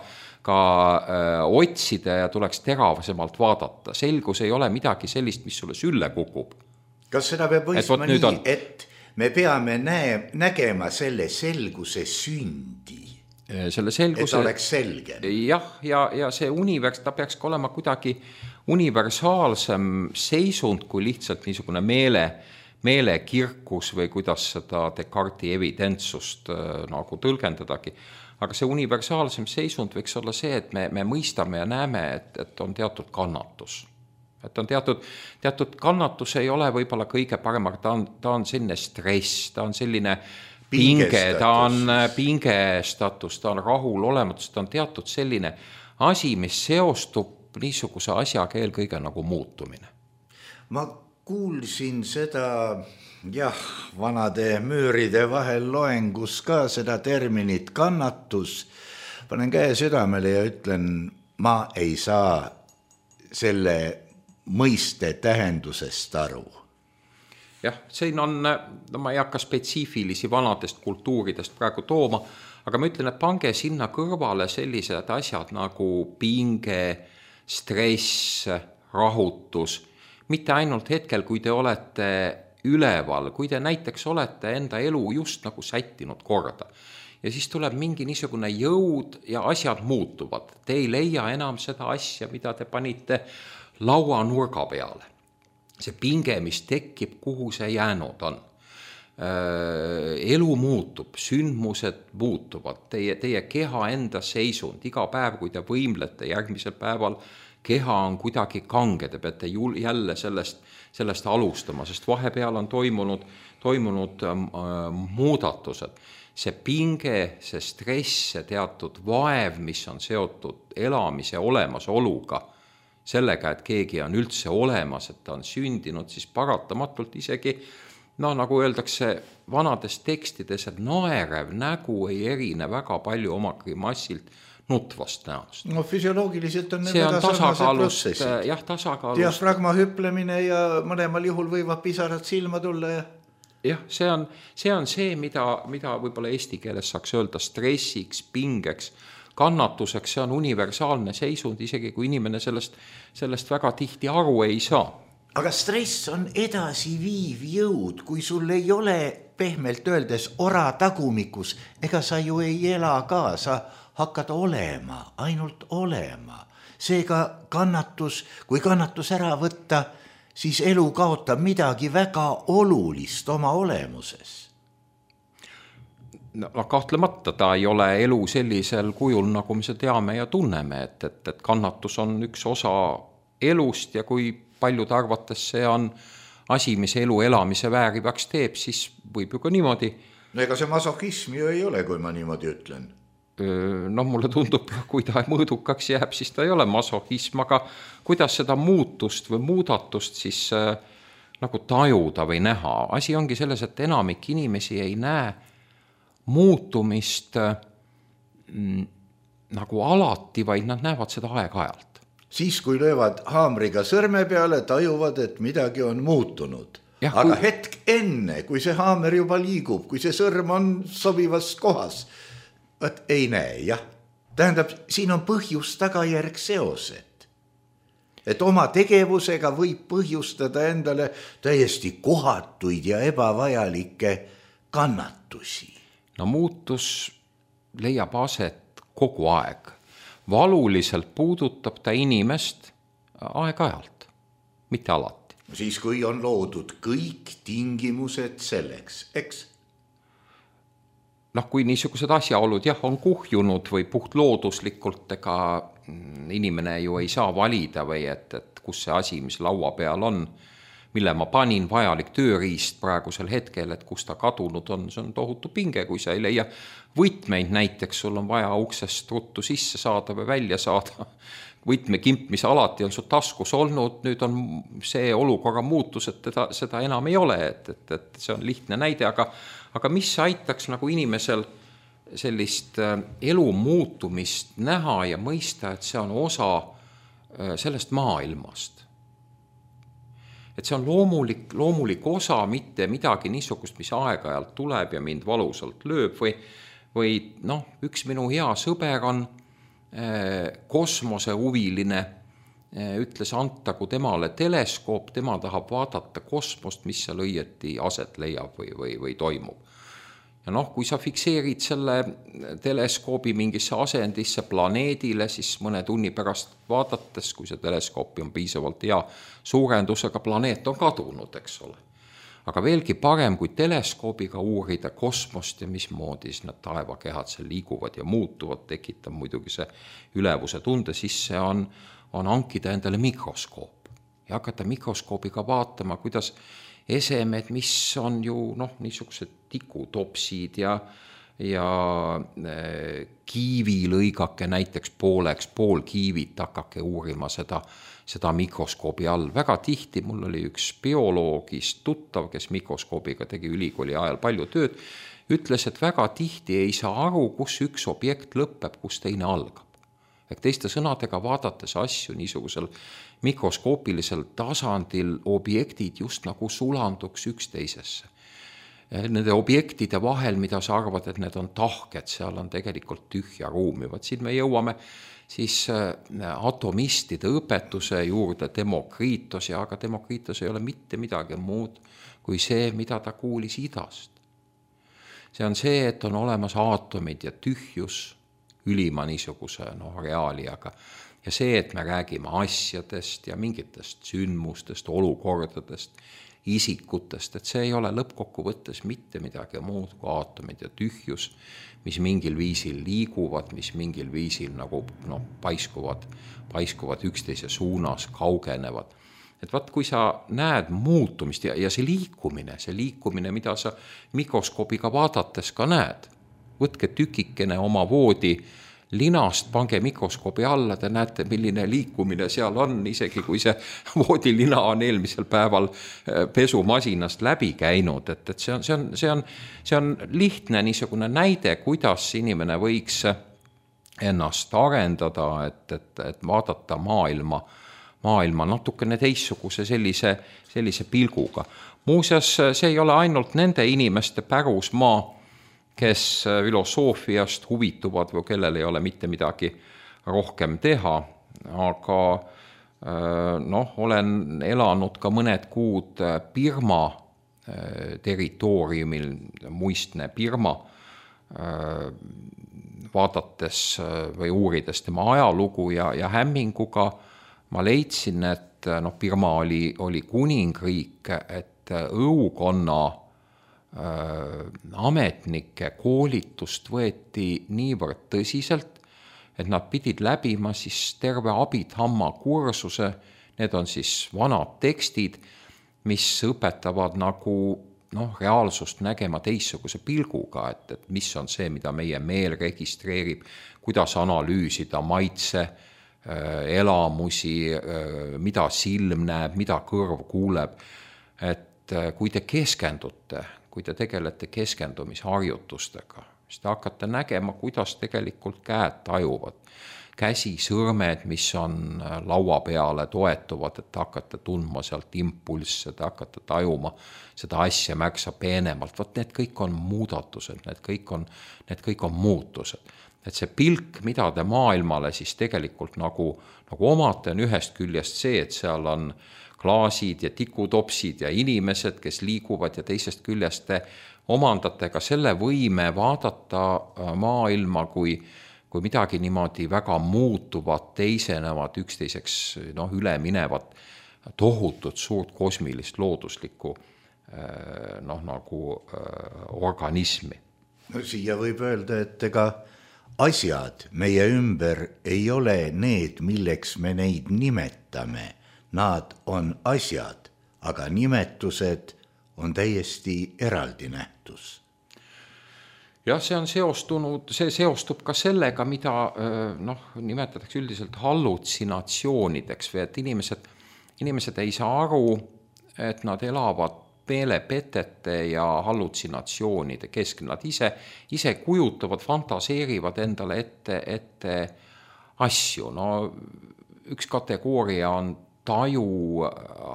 otsida ja tuleks teravasemalt vaadata. Selgus ei ole midagi sellist, mis sulle sülle kukub. Kas seda peab võistma nii, et me peame nägema selle selguse sündi? Selle selguse, et oleks selge. Jah, ja see ta peaks olema kuidagi universaalsem seisund kui lihtsalt niisugune meelekirkus või kuidas seda Descartesi evidentsust nagu tõlgendadagi. Aga see universaalsem seisund võiks olla see, et me mõistame ja näeme, et on teatud kannatus. Et on teatud kannatus ei ole võib-olla kõige parem, aga ta on selline stress, ta on selline pinge, ta on pingestatus, ta on rahul olematus, ta on teatud selline asi, mis seostub niisuguse asjaga eelkõige nagu muutumine. Ma kuulsin seda, vanade müüride vahel loengus ka seda terminit kannatus. Panen käe südamele ja ütlen, ma ei saa selle mõiste tähendusest aru. Jah, siin on, ma ei hakka spetsiifilisi vanadest kultuuridest praegu tooma, aga ma ütlen, et pange sinna kõrvale sellised asjad nagu pinge, stress, rahutus, mitte ainult hetkel, kui te olete üleval, kui te näiteks olete enda elu just nagu sättinud korda. Ja siis tuleb mingi niisugune jõud ja asjad muutuvad. Te ei leia enam seda asja, mida te panite laua nurga peale. See pinge, mis tekib, kuhu see jäänud on. Elu muutub, sündmused muutuvad, teie keha enda seisund, iga päev, kui te võimlete, järgmisel päeval keha on kuidagi kange, te peate jälle sellest alustama, sest vahepeal on toimunud muudatused. See pinge, see stress, see teatud vaev, mis on seotud elamise olemasoluga, sellega, et keegi on üldse olemas, et ta on sündinud, siis paratamatult isegi, nagu öeldakse vanades tekstides, et naerev nägu ei erine väga palju oma grimassilt nutvast näost. No füsioloogiliselt on see on tasakaalust, tasakaalust. Diafragma hüplemine ja mõlemal juhul võivad pisarad silma tulla ja... Jah, see on see, mida võib-olla eesti keeles saaks öelda stressiks, pingeks, kannatuseks, see on universaalne seisund, isegi kui inimene sellest väga tihti aru ei saa. Aga stress on edasi viiv jõud, kui sul ei ole pehmelt öeldes ora tagumikus, ega sa ju ei ela ka, sa hakkad olema, ainult olema. Seega kui kannatus ära võtta, siis elu kaotab midagi väga olulist oma olemuses. No, kahtlemata ta ei ole elu sellisel kujul, nagu me seda teame ja tunneme, et kannatus on üks osa elust ja kui paljud arvates see on asi, mis elu elamise väärivaks teeb, siis võib ju ka niimoodi. No ega see masokhism ju ei ole, kui ma niimoodi ütlen. Mulle tundub, kui ta mõõdukaks jääb, siis ta ei ole masokhism, aga kuidas seda muutust või muudatust siis nagu tajuda või näha. Asi ongi selles, et enamik inimesi ei näe muutumist nagu alati, vaid nad näevad seda aeg-ajalt. Siis, kui löövad haamriga sõrme peale, tajuvad, et midagi on muutunud. Aga hetk enne, kui see haamer juba liigub, kui see sõrm on sobivas kohas, ei näe, jah. Tähendab, siin on põhjus-tagajärg seosed. Et oma tegevusega võib põhjustada endale täiesti kohatuid ja ebavajalikke kannatusi. No muutus leiab aset kogu aeg. Valuliselt puudutab ta inimest aeg-ajalt, mitte alati. Siis, kui on loodud kõik tingimused selleks, eks? Kui niisugused asjaolud on kuhjunud või puht looduslikult, ega inimene ju ei saa valida või et kus see asi, mis laua peal on, mille ma panin vajalik tööriist praegusel hetkel, et kus ta kadunud on, see on tohutu pinge, kui sa ei leia võtmeid näiteks, sul on vaja uksest ruttu sisse saada või välja saada. Võtmekimp, mis alati on su taskus olnud, nüüd on see olukorra muutus, et seda enam ei ole, et see on lihtne näide, aga mis aitaks nagu inimesel sellist elu muutumist näha ja mõista, et see on osa sellest maailmast. et see on loomulik osa, mitte midagi niisugust, mis aeg-ajalt tuleb ja mind valusalt lööb või noh, üks minu hea sõber on kosmosehuviline, ütles antagu temale teleskoop, tema tahab vaadata kosmost, mis seal õieti aset leiab või toimub. Ja noh, kui sa fikseerid selle teleskoobi mingisse asendisse planeedile, siis mõne tunni pärast vaadates, kui see teleskoopi on piisavalt hea suurendusega, planeet on kadunud, eks ole. Aga veelgi parem, kui teleskoobiga uurida kosmost ja mismoodi need taevakehad seal liiguvad ja muutuvad, tekitab muidugi see ülevuse tunde, siis see on hankida endale mikroskoop ja hakata mikroskoobiga vaatama, kuidas esemed, mis on ju niisugused tikutopsid ja kiivilõigake näiteks pool kiivit, hakake uurima seda mikroskoobi all. Väga tihti mul oli üks bioloogist tuttav, kes mikroskoobiga tegi ülikooli ajal palju tööd, ütles, et väga tihti ei saa aru, kus üks objekt lõpeb, kus teine algab. Teiste sõnadega vaadates asju niisugusel mikroskoopilisel tasandil objektid just nagu sulanduks üksteisesse. Nende objektide vahel, mida sa arvad, et need on tahked, seal on tegelikult tühja ruumi. Siin me jõuame siis atomistide õpetuse juurde Demokritos, aga Demokritos ei ole mitte midagi muud kui see, mida ta kuulis idast. See on see, et on olemas aatomid ja tühjus ülima niisuguse reaaliaga. Ja see, et me räägime asjadest ja mingitest sündmustest, olukordadest, isikutest, et see ei ole lõppkokkuvõttes mitte midagi muud kui aatomid ja tühjus, mis mingil viisil liiguvad, mis mingil viisil nagu paiskuvad üksteise suunas, kaugenevad. Et vaat, kui sa näed muutumist ja see liikumine, mida sa mikroskoobiga vaadates ka näed, võtke tükikene oma voodi linast, pange mikroskoobi alla, te näete, milline liikumine seal on, isegi kui see voodilina on eelmisel päeval pesumasinast läbi käinud, et see on lihtne niisugune näide, kuidas inimene võiks ennast arendada, et vaadata maailma natukene teissuguse sellise pilguga. Muuseas, see ei ole ainult nende inimeste pärusmaa, kes filosoofiast huvituvad või kellel ei ole mitte midagi rohkem teha, aga olen elanud ka mõned kuud Birma territooriumil, muistne Birma, vaadates või uurides tema ajalugu ja hämminguga ma leidsin, et Birma oli kuningriik, et õukonna ametnike koolitust võeti niivõrd tõsiselt, et nad pidid läbima siis terve Abhidhamma kursuse, need on siis vanad tekstid, mis õpetavad nagu reaalsust nägema teissuguse pilguga, et mis on see, mida meie meel registreerib, kuidas analüüsida maitse, elamusi, mida silm näeb, mida kõrv kuuleb, et kui te keskendute, kui te tegelete keskendumisharjutustega, siis te hakkate nägema, kuidas tegelikult käed tajuvad. Käsi, sõrmed, mis on laua peale toetuvad, et hakkate tundma sealt impulsse, te hakkate tajuma seda asja märksa peenemalt. Vot need kõik on muudatused, need kõik on muutused. Et see pilk, mida te maailmale siis tegelikult nagu omate, on ühest küljest see, et seal on klaasid ja tikutopsid ja inimesed, kes liiguvad ja teisest küljest te omandate ka selle võime vaadata maailma kui midagi niimoodi väga muutuvad, teisenevad, üksteiseks üle minevat tohutut suurt kosmilist looduslikku organismi. Siia võib öelda, et ega asjad meie ümber ei ole need, milleks me neid nimetame. Nad on asjad, aga nimetused on täiesti eraldi nähtus. Jah, see seostub ka sellega, mida nimetatakse üldiselt hallutsinatsioonideks või et inimesed ei saa aru, et nad elavad meelepetete ja hallutsinatsioonide keskel. Nad ise kujutavad, fantaseerivad endale ette asju. Üks kategooria on taju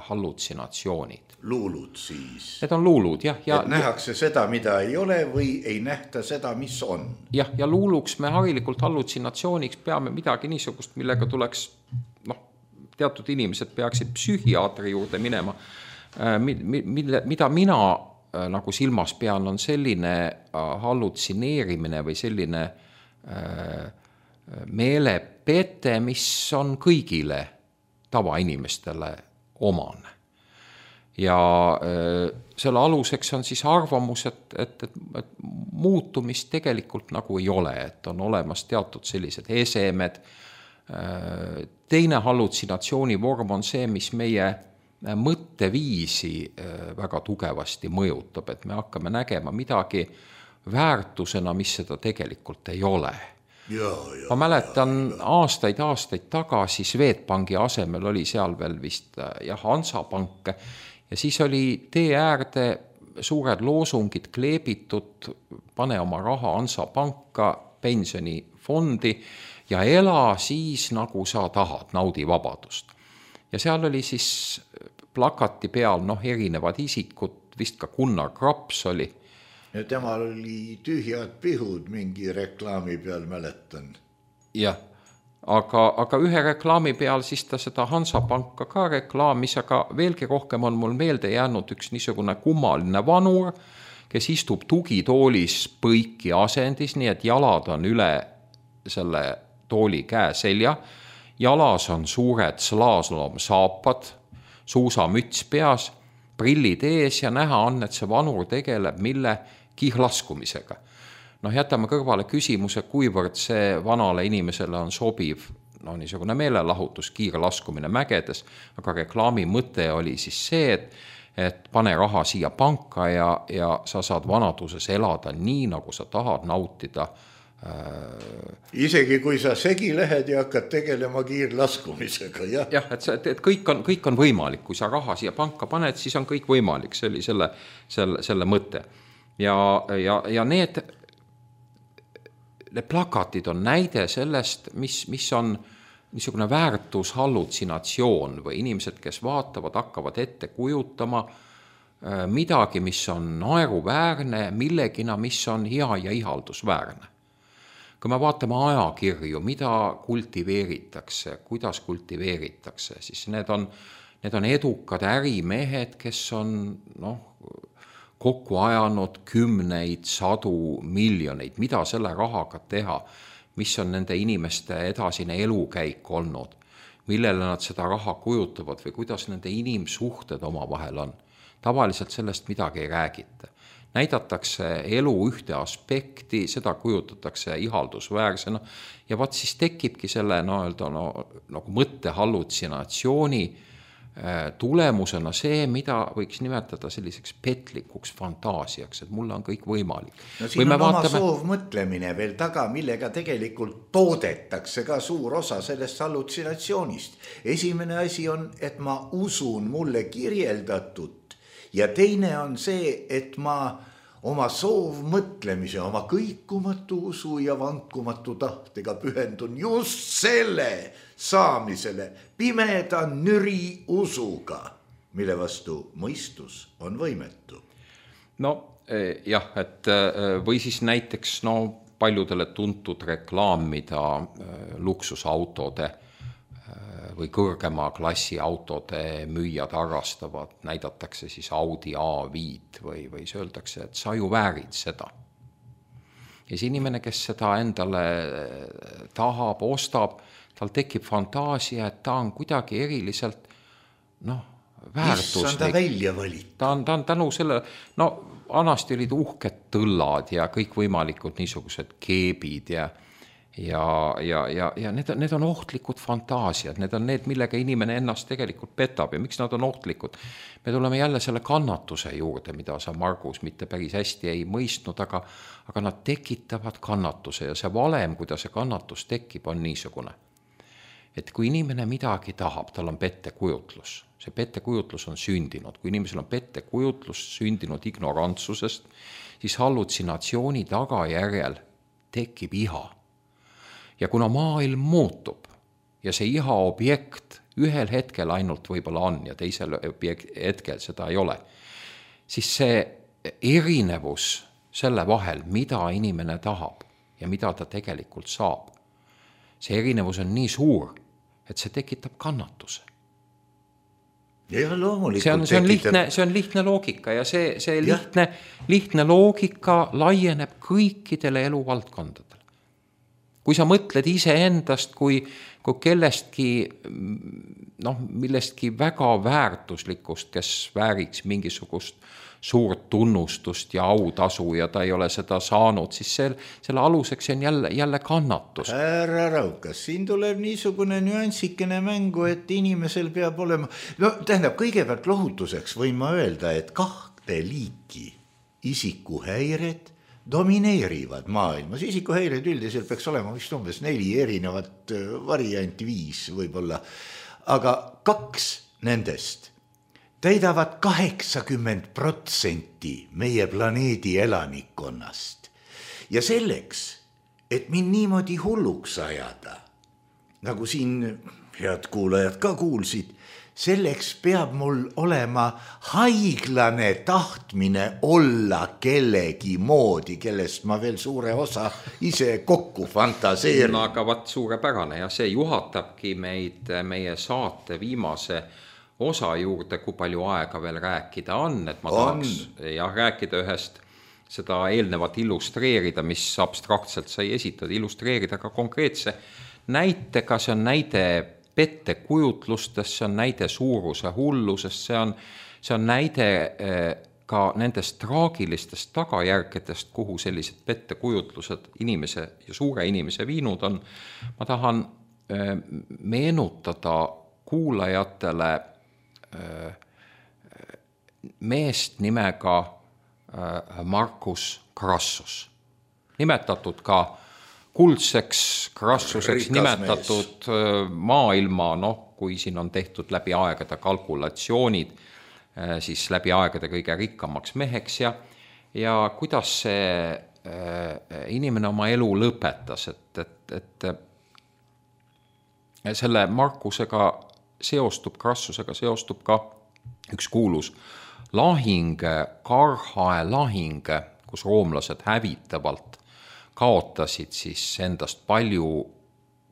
hallutsinatsioonid. Luulud siis. Need on luulud, jah. Et nähakse seda, mida ei ole või ei nähta seda, mis on. Jah, ja luuluks me harilikult hallutsinatsiooniks peame midagi niisugust, millega tuleks, teatud inimesed peaksid psühhiaatri juurde minema. Mida mina nagu silmas pean, on selline hallutsineerimine või selline meelepete, mis on kõigile tavainimestele omane. Ja selle aluseks on siis arvamus, et muutumist tegelikult nagu ei ole, et on olemas teatud sellised esemed. Teine hallutsinatsiooni vorm on see, mis meie mõtteviisi väga tugevasti mõjutab, et me hakkame nägema midagi väärtusena, mis seda tegelikult ei ole. Ma mäletan aastaid tagasi Swedbanki asemel oli seal veel vist Hansapank ja siis oli tee äärde suured loosungid kleebitud, pane oma raha Hansapanka, pensionifondi ja ela siis nagu sa tahad, naudi vabadust. Ja seal oli siis plakati peal erinevad isikud, vist ka Gunnar Graps oli. Ja temal oli tühjad pihud mingi reklaami peal, mäletan. Jah, aga ühe reklaami peal siis ta seda Hansapanka ka reklaamis, aga veelgi rohkem on mul meelde jäänud üks niisugune kummaline vanur, kes istub tugitoolis põiki asendis, nii et jalad on üle selle tooli käe selja, jalas on suured slaaslomsaapad, suusamüts peas, prillid ees ja näha on, et see vanur tegeleb mille kiirlaskumisega. Jätame kõrvale küsimuse, kuivõrd see vanale inimesele on sobiv niisugune meelelahutus, kiirlaskumine mägedes, aga reklaami mõte oli siis see, et pane raha siia panka ja sa saad vanaduses elada nii, nagu sa tahad nautida. Isegi kui sa segi lähed ja hakkad tegelema kiirlaskumisega, jah? Jah, et kõik on võimalik, kui sa raha siia panka paned, siis on kõik võimalik, see oli selle mõte. Ja need plakatid on näide sellest, mis on niisugune väärtushallutsinatsioon või inimesed, kes vaatavad, hakkavad ette kujutama midagi, mis on naeruväärne, millegina, mis on hea ja ihaldusväärne. Kui me vaatame ajakirju, mida kultiveeritakse, kuidas kultiveeritakse, siis need on edukad ärimehed, kes on kokku ajanud 10, 100 miljoneid, mida selle rahaga teha, mis on nende inimeste edasine elukäik olnud, millele nad seda raha kujutavad või kuidas nende inimsuhted oma vahel on. Tavaliselt sellest midagi ei räägita. Näidatakse elu ühte aspekti, seda kujutatakse ihaldusväärsena ja vaat siis tekibki selle nagu mõttehallutsinatsiooni tulemusena see, mida võiks nimetada selliseks petlikuks fantaasiaks, et mulle on kõik võimalik. Siin on oma soovmõtlemine veel taga, millega tegelikult toodetakse ka suur osa sellest hallutsinatsioonist. Esimene asi on, et ma usun mulle kirjeldatud ja teine on see, et ma oma soovmõtlemise, oma kõikumatu usu ja vankumatu tahtega pühendun just selle saamisele pimeda nüri usuga, mille vastu mõistus on võimetu. Jah, et või siis näiteks paljudele tuntud reklaamida luksusautode või kõrgema klassi autode müüjad arrastavad, näidatakse siis Audi A5 või öeldakse, et sa ju väärid seda. Ja see inimene, kes seda endale tahab, ostab, tal tekib fantaasia, et ta on kuidagi eriliselt väärtuslik. Mis on ta välja valitud? Ta on tänu selle, vanasti olid uhked tõllad ja kõik võimalikud niisugused keebid ja need on ohtlikud fantaasiad, need on need, millega inimene ennast tegelikult petab ja miks nad on ohtlikud. Me tuleme jälle selle kannatuse juurde, mida sa, Margus, mitte päris hästi ei mõistnud, aga nad tekitavad kannatuse ja see valem, kuidas see kannatus tekib, on niisugune. Et kui inimene midagi tahab, tal on pettekujutlus. See pettekujutlus on sündinud. Kui inimesel on pettekujutlus sündinud ignorantsusest, siis hallutsinatsiooni tagajärjel tekib iha. Ja kuna maailm muutub ja see iha objekt ühel hetkel ainult võib-olla on ja teisel hetkel seda ei ole, siis see erinevus selle vahel, mida inimene tahab ja mida ta tegelikult saab, see erinevus on nii suur, et see tekitab kannatuse. Ja loomulikult see on lihtne loogika ja see lihtne loogika laieneb kõikidele eluvaldkondadele. Kui sa mõtled iseendast kui kellestki, millestki väga väärtuslikust, kes vääriks mingisugust suurt tunnustust ja autasu ja ta ei ole seda saanud, siis selle aluseks on jälle kannatus. Härra Raukas, siin tuleb niisugune nüansikene mängu, et inimesel peab olema, tähendab, kõigepealt lohutuseks võin ma öelda, et 2 liiki isikuhäired domineerivad maailmas. Isikuhäired üldiselt peaks olema vist umbes 4 erinevat varianti, 5 võib-olla, aga 2 nendest täidavad 80% meie planeedi elanikkonnast. Ja selleks, et mind niimoodi hulluks ajada, nagu siin head kuulajad ka kuulsid, selleks peab mul olema haiglane tahtmine olla kellegi moodi, kellest ma veel suure osa ise kokku fantaseerin. No aga vaat suurepärane ja see juhatabki meid meie saate viimase osa juurde, kui palju aega veel rääkida on, et ma tahaks rääkida ühest seda eelnevat illustreerida, mis abstraktselt sai esitada, illustreerida ka konkreetse näitega, see on näide pettekujutlustest, see on näide suuruse hullusest, see on näide ka nendest traagilistest tagajärgedest, kuhu sellised pettekujutlused inimese ja suure inimese viinud on. Ma tahan meenutada kuulajatele meest nimega Marcus Crassus, nimetatud ka kuldseks Crassuseks, nimetatud maailma, kui siin on tehtud läbi aegade kalkulatsioonid, siis läbi aegade kõige rikkamaks meheks ja kuidas see inimene oma elu lõpetas, et selle Marcusega Crassusega seostub ka üks kuulus lahing, Karhae lahing, kus roomlased hävitavalt kaotasid siis endast palju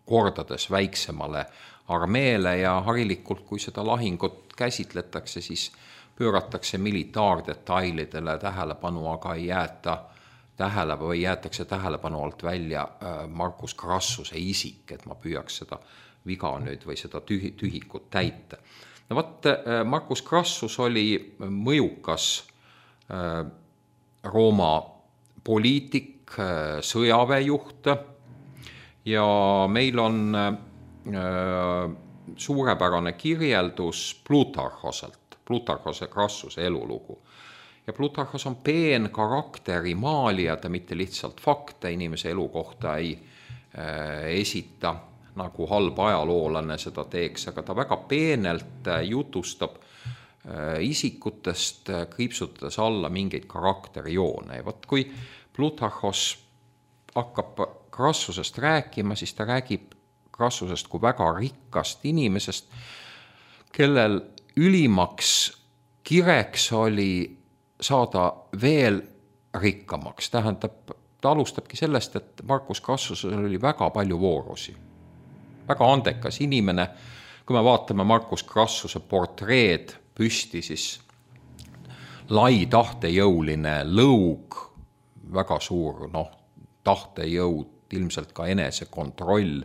kordades väiksemale armeele ja harilikult, kui seda lahingut käsitletakse, siis pööratakse militaardetailidele tähelepanu, aga ei jäetakse tähelepanu alt välja Marcus Crassuse isik, et ma püüaks seda viga nüüd või seda tühikut täita. No vaat, Marcus Crassus oli mõjukas Rooma poliitik, sõjaväejuht ja meil on suurepärane kirjeldus Plutarhose Crassuse elulugu. Ja Plutarhos on peen karakteri maalija, ta mitte lihtsalt fakte inimese elu kohta ei esita, nagu halb ajaloolane seda teeks, aga ta väga peenelt jutustab isikutest, kriipsutades alla mingeid karakterijoone. Ja võt, kui Plutarhos hakkab Crassusest rääkima, siis ta räägib Crassusest kui väga rikkast inimesest, kellel ülimaks kireks oli saada veel rikkamaks. Tähendab, ta alustabki sellest, et Marcus Crassusel oli väga palju voorusi. Väga andekas inimene. Kui me vaatame Marcus Crassuse portreed püsti, siis lai tahtejõuline lõug, väga suur tahtejõud, ilmselt ka enesekontroll,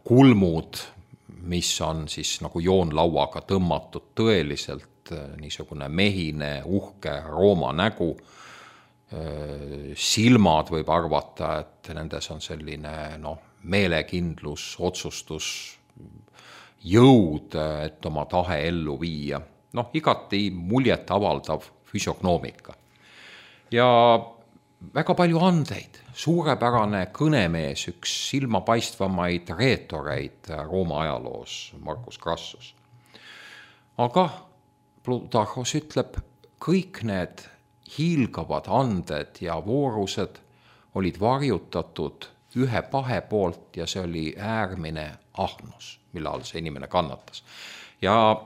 kulmud, mis on siis nagu joonlauaga tõmmatud tõeliselt niisugune mehine, uhke Rooma nägu, silmad võib arvata, et nendes on selline meelekindlus, otsustus, jõud, et oma tahe ellu viia. Igati muljet avaldav füsiognoomika. Ja väga palju andeid, suurepärane kõnemees, üks silmapaistvamaid reetoreid Rooma ajaloos, Marcus Crassus. Aga Plutarhos ütleb, kõik need hiilgavad anded ja voorused olid varjutatud ühe pahe poolt ja see oli äärmine ahnus, mille all see inimene kannatas. Ja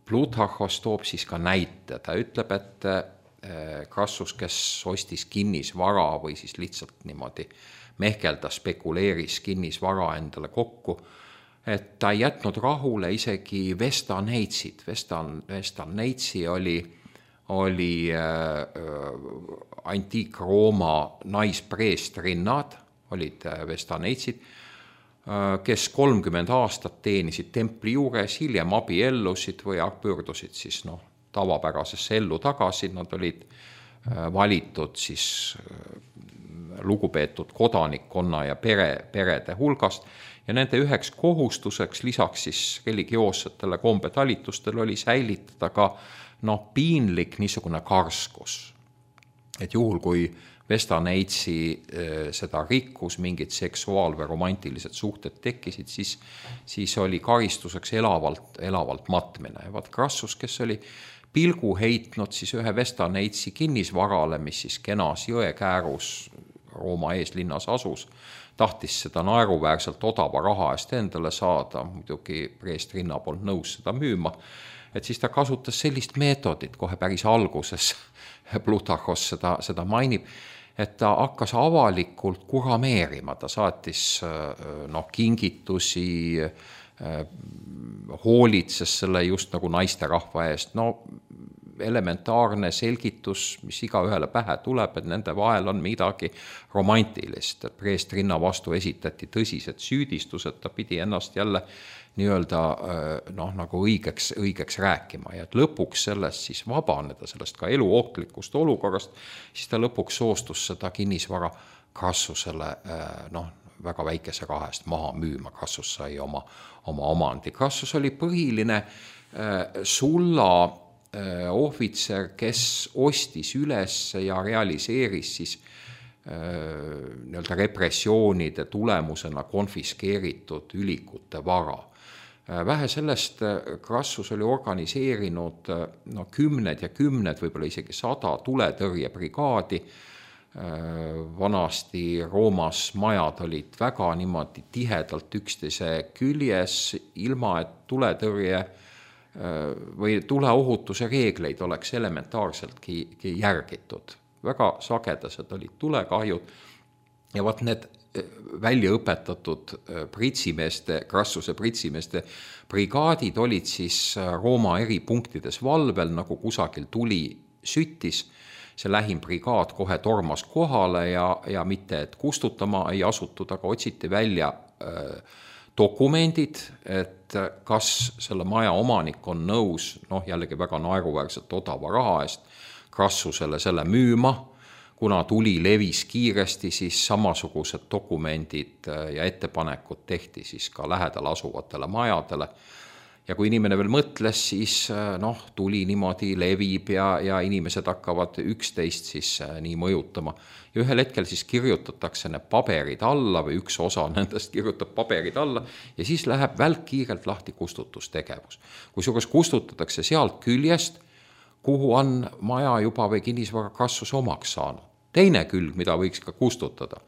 Plutarhos toob siis ka näite, ta ütleb, et Crassus, kes ostis kinnisvara või siis lihtsalt niimoodi mehkelda, spekuleeris kinnisvara endale kokku, et ta ei jätnud rahule isegi Vestaneitsid. Vestaneitsi oli antiik-Rooma naispreestrinnad, olid Vestaneitsid, kes 30 aastat teenisid templi juures, hiljem abiellusid või pöördusid siis tavapärasesse ellu tagasi, nad olid valitud siis lugupeetud kodanikkonna ja perede hulgast ja nende üheks kohustuseks lisaks siis religioossetele kombetalitustele oli säilitada ka piinlik niisugune karskus. Et juhul, kui Vestaneitsi seda rikkus, mingid seksuaal- või romantilised suhted tekkisid, siis oli karistuseks elavalt matmine. Ja vaat Crassus, kes oli pilgu heitnud siis ühe Vestaneitsi kinnisvarale, mis siis kenas jõekäärus Rooma eeslinnas asus, tahtis seda naeruväärselt odava raha eest endale saada, muidugi preestrinna polnud nõus seda müüma, et siis ta kasutas sellist meetodit kohe päris alguses, Plutarhos seda mainib, et ta hakkas avalikult kurameerima, ta saatis kingitusi, hoolitses selle just nagu naisterahva eest, elementaarne selgitus, mis iga ühele pähe tuleb, et nende vahel on midagi romantilist, et preestrinna vastu esitati tõsised süüdistused, ta pidi ennast jälle nii-öelda nagu õigeks rääkima ja et lõpuks sellest siis vabaneda, sellest ka eluohtlikust olukorrast, siis ta lõpuks soostus seda kinnisvara Crassusele väga väikese raha eest maha müüma. Crassus sai oma omandi. Crassus oli põhiline sulla ohvitser, kes ostis üles ja realiseeris siis nii-öelda repressioonide tulemusena konfiskeeritud ülikute vara. Vähe sellest Crassus oli organiseerinud kümned ja kümned, võib-olla isegi 100 tuletõrjebrigaadi. Vanasti Roomas majad olid väga niimoodi tihedalt üksteise küljes, ilma et tuletõrje või tuleohutuse reegleid oleks elementaarseltki järgitud. Väga sagedased olid tulekahjud ja vaat need väljaõpetatud Crassuse pritsimeeste brigaadid olid siis Rooma eri punktides valvel, nagu kusagil tuli süttis. See lähim brigaad kohe tormas kohale ja mitte et kustutama ei asutud, aga otsiti välja dokumendid, et kas selle maja omanik on nõus, jällegi väga naeruväärselt odava raha eest, Crassusele selle müüma, kuna tuli levis kiiresti, siis samasugused dokumendid ja ettepanekud tehti siis ka lähedal asuvatele majadele. Ja kui inimene veel mõtles, siis tuli niimoodi levib ja inimesed hakkavad üksteist siis nii mõjutama. Ja ühel hetkel siis kirjutatakse need paberid alla või üks osa nendest kirjutab paberid alla ja siis läheb välkkiirelt lahti kustutustegevus. Kusjuures kustutatakse sealt küljest, kuhu on maja juba või kinnisvara Crassus omaks saanud. Teine külg, mida võiks ka kustutada,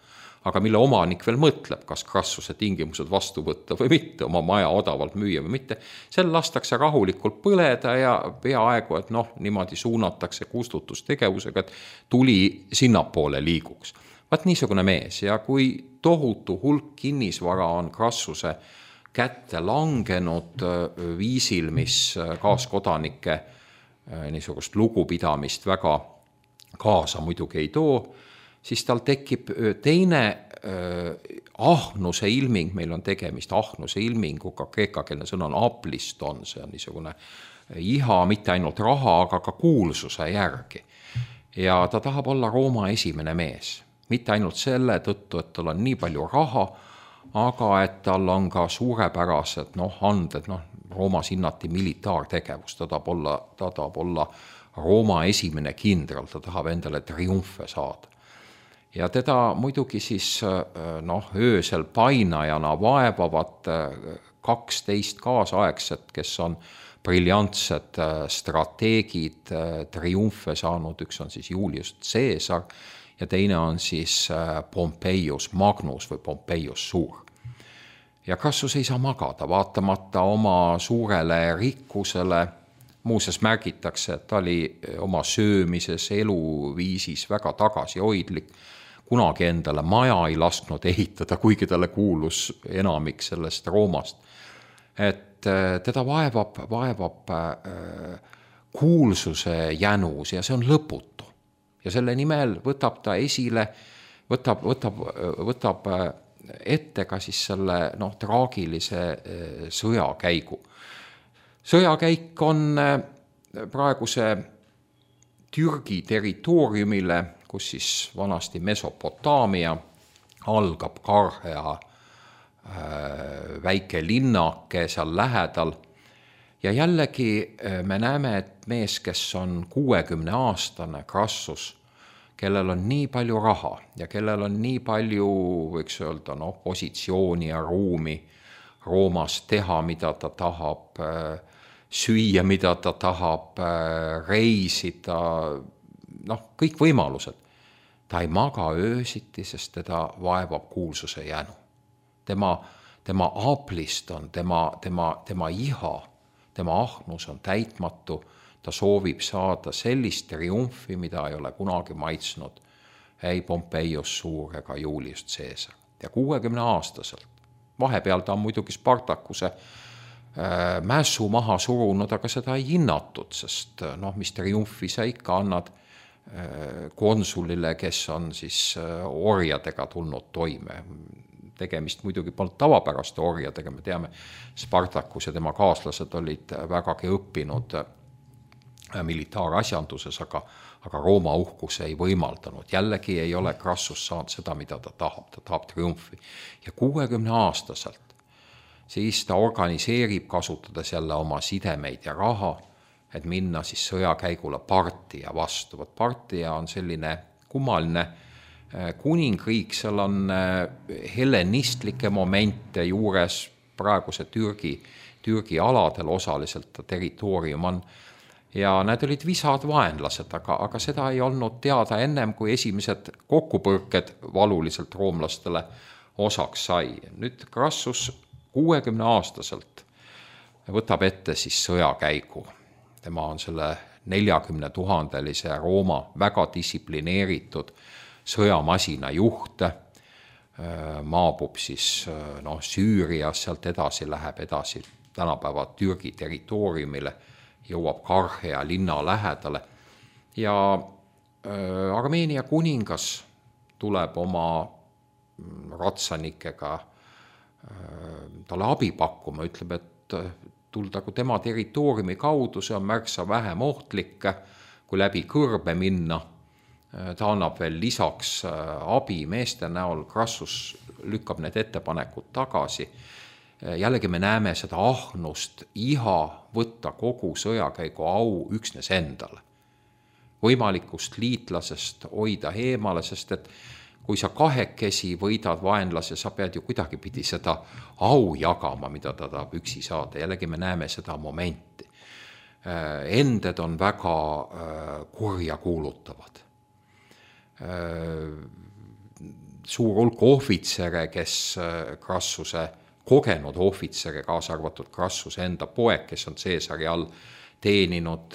aga mille omanik veel mõtleb, kas Crassuse tingimused vastu võtta või mitte, oma maja odavalt müüa või mitte, seal lastakse rahulikult põleda ja peaaegu, et niimoodi suunatakse kustutustegevusega, et tuli sinnapoole liiguks. Vaat niisugune mees ja kui tohutu hulk kinnisvara on Crassuse kätte langenud viisil, mis kaaskodanike niisugust lugupidamist väga kaasa muidugi ei too, siis tal tekib teine ahnuse ilming, meil on tegemist ahnuse ilminguga, kreekakeelne sõna on apliston, see on niisugune iha mitte ainult raha, aga ka kuulsuse järgi. Ja ta tahab olla Rooma esimene mees, mitte ainult selle tõttu, et tal on nii palju raha, aga et tal on ka suurepärased anded, Roomas hinnati militaartegevus, ta tahab olla Rooma esimene kindral, ta tahab endale triumfe saada. Ja teda muidugi siis öösel painajana vaevavad 12 kaasaegset, kes on briljantsed strateegid, triumfe saanud, üks on siis Julius Caesar ja teine on siis Pompeius Magnus või Pompeius Suur. Ja Crassus ei saa magada, vaatamata oma suurele rikkusele. Muuseas märgitakse, et ta oli oma söömises, eluviisis väga tagasihoidlik. Kunagi endale maja ei lasknud ehitada, kuigi talle kuulus enamik sellest Roomast. Et teda vaevab kuulsuse jänus ja see on lõputu. Ja selle nimel võtab ta esile, võtab ette ka siis selle traagilise sõjakäigu. Sõjakäik on praeguse Türgi territooriumile, kus siis vanasti Mesopotaamia algab Karhea väike linnake seal lähedal. Ja jällegi me näeme, et mees, kes on 60-aastane Crassus, kellel on nii palju raha ja kellel on nii palju, võiks öelda, positsiooni ja ruumi Roomas teha, mida ta tahab, süüa, mida ta tahab, reisida, kõik võimalused. Ta ei maga öösiti, sest teda vaevab kuulsuse jänu. Tema aplist on, tema iha, tema ahnus on täitmatu, ta soovib saada sellist triumfi, mida ei ole kunagi maitsnud ei Pompeius Suur ega Julius Caesar. Ja 60-aastaselt. Vahepeal ta on muidugi Spartakuse mässu maha surunud, aga seda ei hinnatud, sest mis triumfi sa ikka annad konsulile, kes on siis orjadega tulnud toime. Tegemist muidugi polnud tavapäraste orjadega, me teame, Spartakus ja tema kaaslased olid vägagi õppinud militaarasjanduses, aga Rooma uhkus ei võimaldanud. Jällegi ei ole Crassus saanud seda, mida ta tahab triumfi. Ja 60-aastaselt siis ta organiseerib, kasutades jälle oma sidemeid ja raha, et minna siis sõjakäigule Partia vastu. Partia on selline kummaline kuningriik, seal on hellenistlikke momente juures, praeguse Türgi aladel osaliselt ta territoorium on, ja need olid visad vaenlased, aga seda ei olnud teada ennem, kui esimesed kokkupõrked valuliselt roomlastele osaks sai. Nüüd Crassus 60-aastaselt võtab ette siis sõjakäigu. Tema on selle 40 000-lise Rooma väga distsiplineeritud sõjamasina juht, maabub siis Süürias, sealt edasi läheb edasi tänapäeva Türgi territooriumile, jõuab Karhea linna lähedale ja Armeenia kuningas tuleb oma ratsanikega talle abi pakkuma, ütleb, et tuldagu tema territooriumi kaudu, see on märksa vähem ohtlik, kui läbi kõrbe minna. Ta annab veel lisaks abi meeste näol, Crassus lükkab need ettepanekud tagasi. Jällegi me näeme seda ahnust, iha võtta kogu sõjakäigu au üksnes endale. Võimalikust liitlasest hoida eemale, sest et kui sa kahekesi võidad vaenlase, sa pead ju kuidagi pidi seda au jagama, mida ta tahab üksi saada. Jällegi me näeme seda momenti. Ended on väga kurja kuulutavad. Suur hulk ohvitsere, kes Crassuse kogenud ohvitsere, kaasa arvatud Crassuse enda poeg, kes on Caesari all teeninud,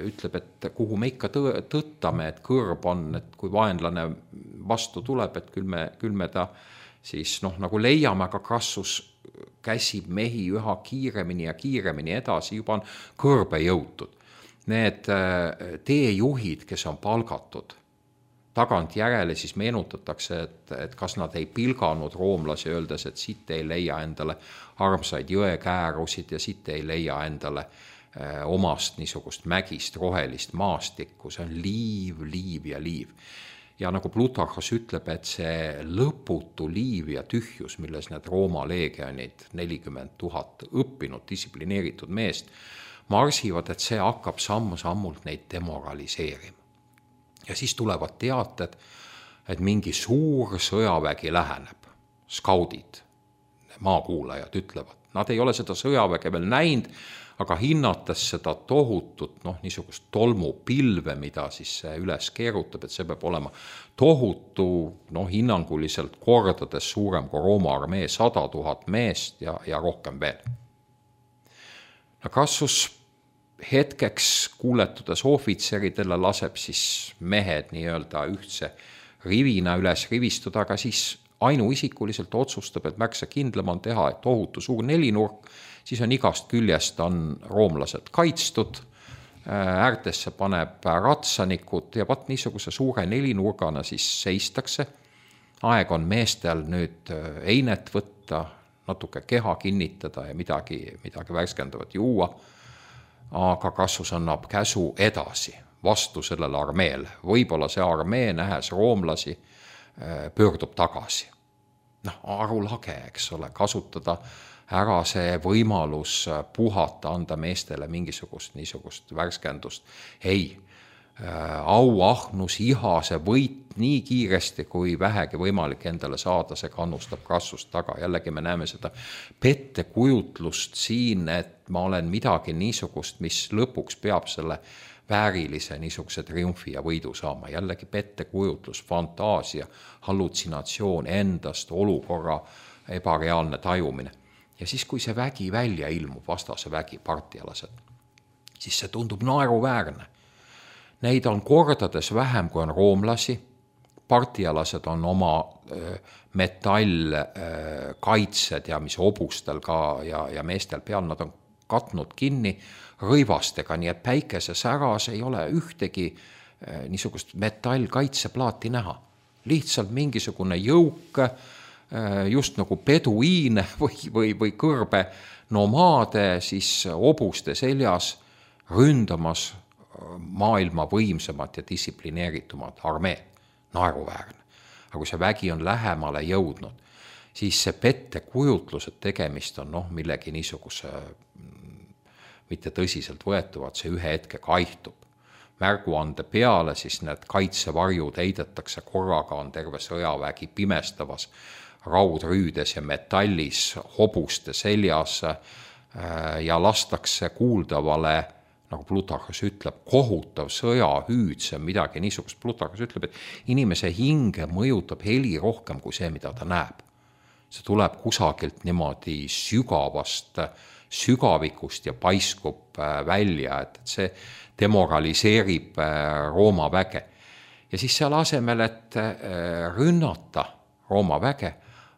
ütleb, et kuhu me ikka tõttame, et kõrb on, et kui vaenlane vastu tuleb, et küll me ta siis nagu leiame, aga Crassus käsib mehi üha kiiremini ja kiiremini edasi, juba on kõrbe jõutud. Need teejuhid, kes on palgatud, tagant järele siis meenutatakse, et kas nad ei pilganud roomlasi, öeldes, et siit ei leia endale armsaid jõekäärusid ja siit ei leia endale omast niisugust mägist rohelist maastikku, see on liiv ja liiv. Ja nagu Plutarhos ütleb, et see lõputu liiv ja tühjus, milles need Rooma leegionid, 40 000 õppinud, distsiplineeritud meest, marsivad, et see hakkab sammu-sammult neid demoraliseerima. Ja siis tulevad teated, et mingi suur sõjavägi läheneb. Skaudid, maakuulajad ütlevad. Nad ei ole seda sõjaväge veel näinud, aga hinnates seda tohutut, niisugust tolmupilve, mida siis see üles keerutab, et see peab olema tohutu, hinnanguliselt kordades suurem kui Rooma armee, 100 000 meest ja rohkem veel. Crassus hetkeks kuuletudes ohvitseridele laseb siis mehed nii-öelda ühtse rivina üles rivistuda, aga siis ainuisikuliselt otsustab, et märksa kindlam on teha tohutu suur nelinurk, siis on igast küljest on roomlased kaitstud, äärtesse paneb ratsanikud ja vaat niisuguse suure nelinurgana siis seistakse. Aeg on meestel nüüd einet võtta, natuke keha kinnitada ja midagi värskendavat juua, aga Crassus annab käsu edasi vastu sellele armeele. Võib-olla see armee, nähes roomlasi, pöördub tagasi. Arulage, eks ole, kasutada ära see võimalus puhata, anda meestele mingisugust niisugust värskendust. Ei, auahnus, iha, see võit nii kiiresti kui vähegi võimalik endale saada, see kannustab Crassust taga. Jällegi me näeme seda pettekujutlust siin, et ma olen midagi niisugust, mis lõpuks peab selle väärilise niisuguse triumfi ja võidu saama. Jällegi pettekujutlus, fantaasia, hallutsinatsioon endast, olukorra ebareaalne tajumine. Ja siis, kui see vägi välja ilmub, vastase vägi, partialased, siis see tundub naeruväärne. Neid on kordades vähem, kui on roomlasi. Partialased on oma metallkaitsed ja mis hobustel ka ja meestel peal, nad on katnud kinni rõivastega, nii et päikese säras ei ole ühtegi niisugust metallkaitseplaati näha. Lihtsalt mingisugune jõuk, just nagu peduiine või kõrbe nomaade siis hobuste seljas ründamas maailma võimsamat ja distsiplineeritumat armeed. Naeruväärne. Aga kui see vägi on lähemale jõudnud, siis see pettekujutlused tegemist on millegi niisuguse mitte tõsiselt võetuvad, see ühe hetke kaihtub. Märguande peale siis need kaitsevarjud heidetakse korraga, on terve sõjavägi pimestavas raudrüüdes ja metallis hobuste seljas ja lastakse kuuldavale, nagu Plutarhus ütleb, kohutav sõjahüüd, see on midagi niisugust. Plutarhus ütleb, et inimese hinge mõjutab heli rohkem kui see, mida ta näeb. See tuleb kusagilt niimoodi sügavikust ja paiskub välja, et see demoraliseerib Rooma väge. Ja siis seal asemel, et rünnata Rooma väge,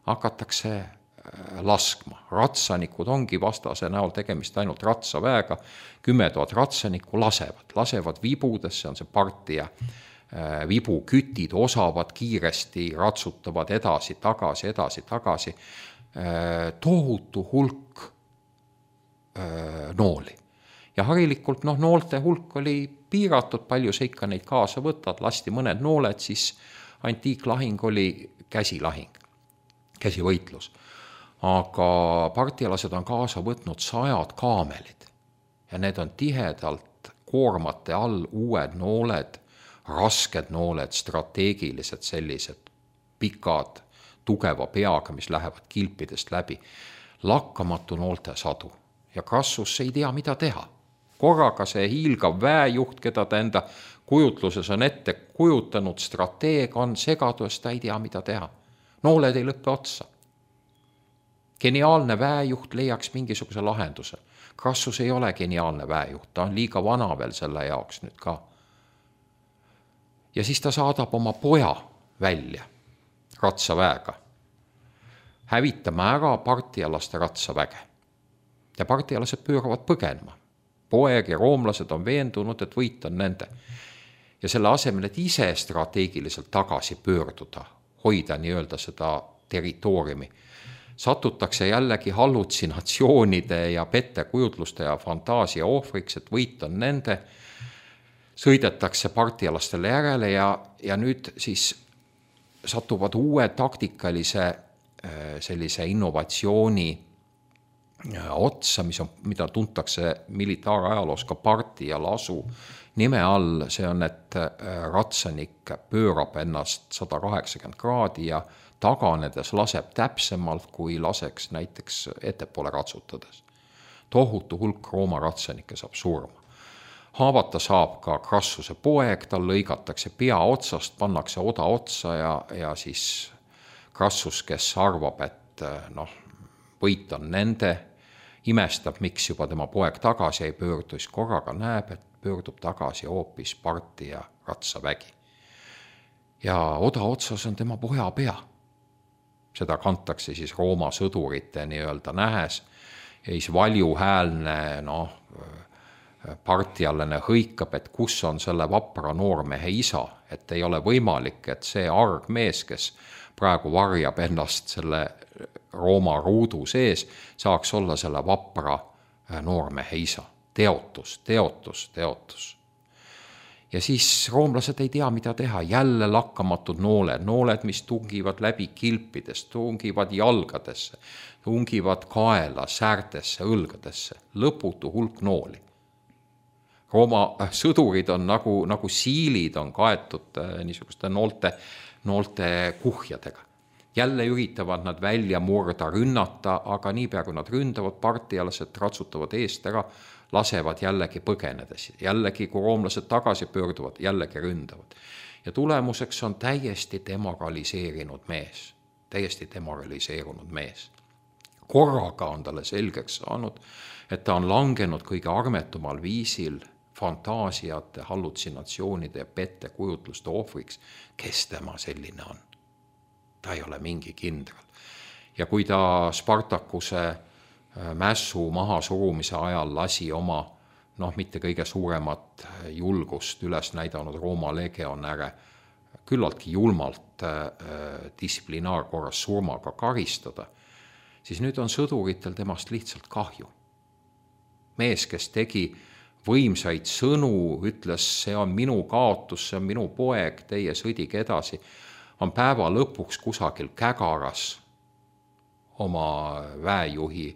hakatakse laskma. Ratsanikud ongi vastase näol tegemist ainult ratsaväega, 10 000 ratsanikku lasevad vibudesse, on see partia vibukütid, osavad kiiresti, ratsutavad edasi, tagasi, tohutu hulk nooli. Ja harilikult noolte hulk oli piiratud, palju sa ikka neid kaasa võtad, lasti mõned nooled, siis antiiklahing oli käsilahing, käsivõitlus. Aga partialased on kaasa võtnud 100 kaamelid ja need on tihedalt koormate all uued nooled, rasked nooled, strateegilised sellised pikad, tugeva peaga, mis lähevad kilpidest läbi. Lakkamatu noolte sadu ja Crassus ei tea, mida teha. Korraga see hiilgav väejuht, keda ta enda kujutluses on ette kujutanud, strateeg on segadus, ta ei tea, mida teha. Nooled ei lõppe otsa. Geniaalne väejuht leiaks mingisuguse lahenduse. Crassus ei ole geniaalne väejuht, ta on liiga vana veel selle jaoks nüüd ka. Ja siis ta saadab oma poja välja ratsaväega. Hävitame ära partialaste ratsaväge. Ja partialased pööravad põgenema. Poeg ja roomlased on veendunud, et võit on nende. Ja selle asemel, et ise strateegiliselt tagasi pöörduda, hoida nii-öelda seda territooriumi, satutakse jällegi hallutsinatsioonide ja pettekujutluste ja fantaasia ohvriks, et võit on nende, sõidetakse partialastele järele ja nüüd siis satuvad uue taktikalise sellise innovatsiooni otsa, mida tuntakse militaarajaloos ka parti ja lasu nime all, see on, et ratsanik pöörab ennast 180 kraadi ja taganedes laseb täpsemalt, kui laseks näiteks ettepoole ratsutades. tohutu hulk Rooma ratsanikke saab surma. Haavata saab ka Crassuse poeg, tal lõigatakse pea otsast, pannakse oda otsa ja siis Crassus, kes arvab, et võit on nende, imestab, miks juba tema poeg tagasi ei pöördu, siis korraga näeb, et pöördub tagasi hoopis parti ja ratsavägi. Ja oda otsas on tema poja pea. Seda kantakse siis Rooma sõdurite nii-öelda nähes ja siis valjuhäälne partialane hõikab, et kus on selle vapra noormehe isa, et ei ole võimalik, et see argmees, kes praegu varjab ennast selle Rooma ruudu sees, saaks olla selle vapra noormehe isa. Teotus. Ja siis roomlased ei tea, mida teha. Jälle lakkamatud nooled, mis tungivad läbi kilpidest, tungivad jalgadesse, tungivad kaela, säärtesse, õlgadesse. Lõputu hulk nooli. Rooma sõdurid on nagu siilid on kaetud niisuguste noolte kuhjadega. Jälle üritavad nad välja murda, rünnata, aga niipea kui nad ründavad, partialased ratsutavad eest ära, lasevad jällegi põgenedes. Jällegi, kui roomlased tagasi pöörduvad, jällegi ründavad. Ja tulemuseks on täiesti demoraliseerunud mees. Korraga on talle selgeks saanud, et ta on langenud kõige armetumal viisil fantaasiate, hallutsinatsioonide ja pettekujutluste ohvriks, kes tema selline on. Ta ei ole mingi kindral. Ja kui ta Spartakuse mässu mahasurumise ajal lasi oma, mitte kõige suuremat julgust üles näidanud Rooma legionäre küllaltki julmalt distsiplinaarkorras surmaga karistada, siis nüüd on sõduritel temast lihtsalt kahju. Mees, kes tegi võimsaid sõnu, ütles, see on minu kaotus, see on minu poeg, teie sõdige edasi, on päeva lõpuks kusagil Kägaras oma väejuhi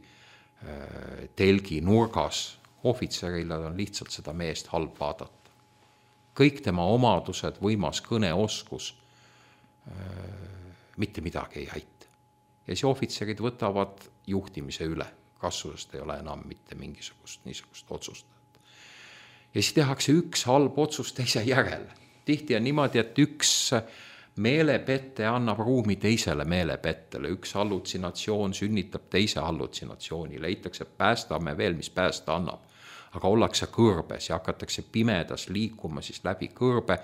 telgi nurgas. Ohvitserile on lihtsalt seda meest halb vaadata. Kõik tema omadused, võimas kõneoskus, mitte midagi ei aita. Ja siis ohvitserid võtavad juhtimise üle. Crassusest ei ole enam mitte mingisugust niisugust otsust. Ja siis tehakse üks halb otsus teise järele. Tihti on niimoodi, et üks meelepette annab ruumi teisele meelepettele. Üks hallutsinatsioon sünnitab teise hallutsinatsiooni. Leitakse, päästame veel, mis päästa annab. Aga ollakse kõrbes ja hakatakse pimedas liikuma siis läbi kõrbe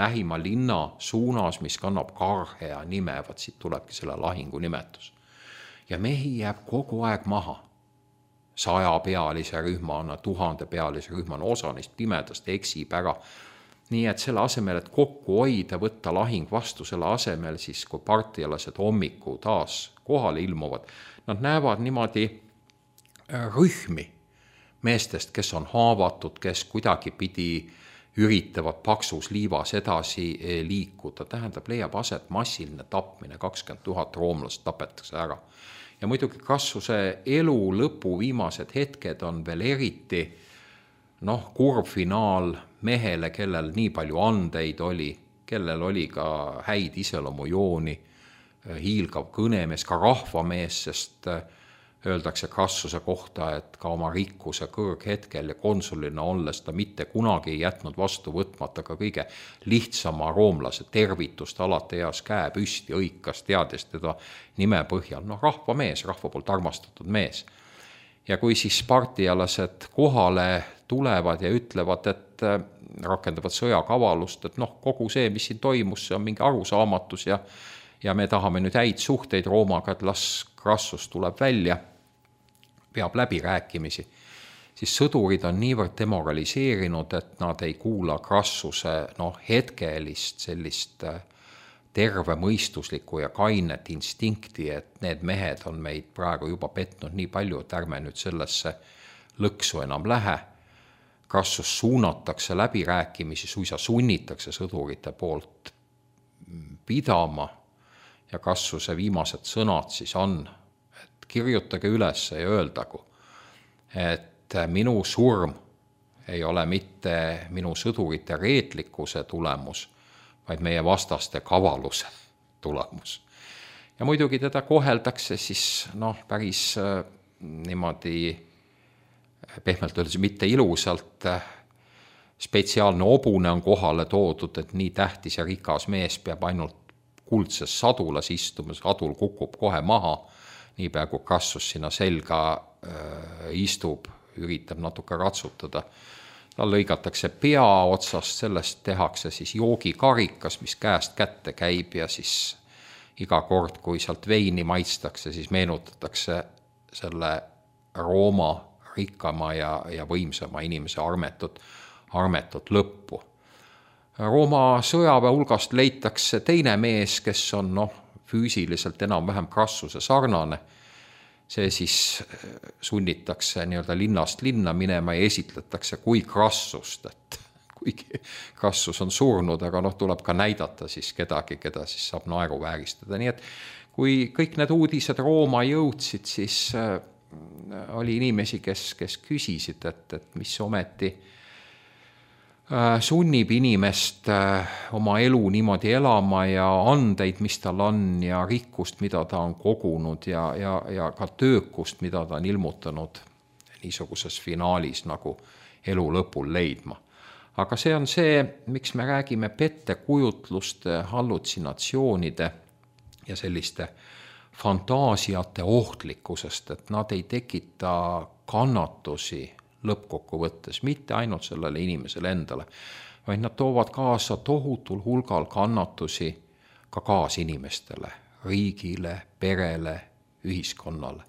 lähima linna suunas, mis kannab Karhea nime. Vaat siit tulebki selle lahingu nimetus. Ja mehi jääb kogu aeg maha. 100-pealise rühmana, 1000-pealise rühmana, osa neist pimedast eksib ära. Nii et selle asemel, et kokku hoida, võtta lahing vastu, selle asemel siis, kui partialased hommiku taas kohale ilmuvad, nad näevad niimoodi rühmi meestest, kes on haavatud, kes kuidagi pidi üritavad paksus liivas edasi liikuda. Tähendab, leiab aset massiline tapmine, 20 000 roomlast tapetakse ära. Ja muidugi Crassuse elu lõpu viimased hetked on veel eriti kurb finaal mehele, kellel nii palju andeid oli, kellel oli ka häid iseloomujooni, hiilgav kõnemees, ka rahvamees, sest öeldakse Crassuse kohta, et ka oma rikkuse kõrghetkel ja konsulina olles ta mitte kunagi ei jätnud vastu võtmata ka kõige lihtsama roomlase tervitust, alati eas käe püsti, õikas, teades teda nime põhjal. Rahvamees, rahva poolt armastatud mees. Ja kui siis partialased kohale tulevad ja ütlevad, et rakendavad sõjakavalust, et kogu see, mis siin toimus, see on mingi arusaamatus ja me tahame nüüd häid suhteid Roomaga, et las Crassus tuleb välja, peab läbirääkimisi, siis sõdurid on niivõrd demoraliseerinud, et nad ei kuula Crassuse hetkelist sellist tervemõistuslikku ja kainet instinkti, et need mehed on meid praegu juba petnud nii palju, et ärme nüüd sellesse lõksu enam lähe. Crassus suunatakse läbirääkimisi, suisa sunnitakse sõdurite poolt pidama ja Crassuse viimased sõnad siis on, et kirjutage üles ja öeldagu, et minu surm ei ole mitte minu sõdurite reetlikkuse tulemus, vaid meie vastaste kavaluse tulemus. Ja muidugi teda koheldakse siis päris niimoodi pehmelt öeldes mitte ilusalt, spetsiaalne hobune on kohale toodud, et nii tähtis ja rikas mees peab ainult kuldses sadulas istuma, sadul kukub kohe maha, nii peaaegu Krassus sinna selga istub, üritab natuke ratsutada. Tal lõigatakse pea otsast, sellest tehakse siis joogikarikas, mis käest kätte käib ja siis iga kord, kui sealt veini maitstakse, siis meenutatakse selle Rooma rikkama ja võimsama inimese armetut lõppu. Rooma sõjaväe hulgast leitakse teine mees, kes on füüsiliselt enam-vähem Krassuse sarnane. See siis sunnitakse nii-öelda linnast linna minema ja esitletakse kui Krassust, et kuigi Krassus on surnud, aga tuleb ka näidata siis kedagi, keda siis saab naeruvääristada. Nii et kui kõik need uudised Rooma jõudsid, siis oli inimesi, kes küsisid, et mis ometi sunnib inimest oma elu niimoodi elama ja andeid, mis tal on ja rikkust, mida ta on kogunud ja ka töökust, mida ta on ilmutanud niisuguses finaalis nagu elu lõpul leidma. Aga see on see, miks me räägime pettekujutluste, hallutsinatsioonide ja selliste fantaasiate ohtlikkusest, et nad ei tekita kannatusi lõppkokkuvõttes, mitte ainult sellele inimesele endale, vaid nad toovad kaasa tohutul hulgal kannatusi ka kaasinimestele, riigile, perele, ühiskonnale.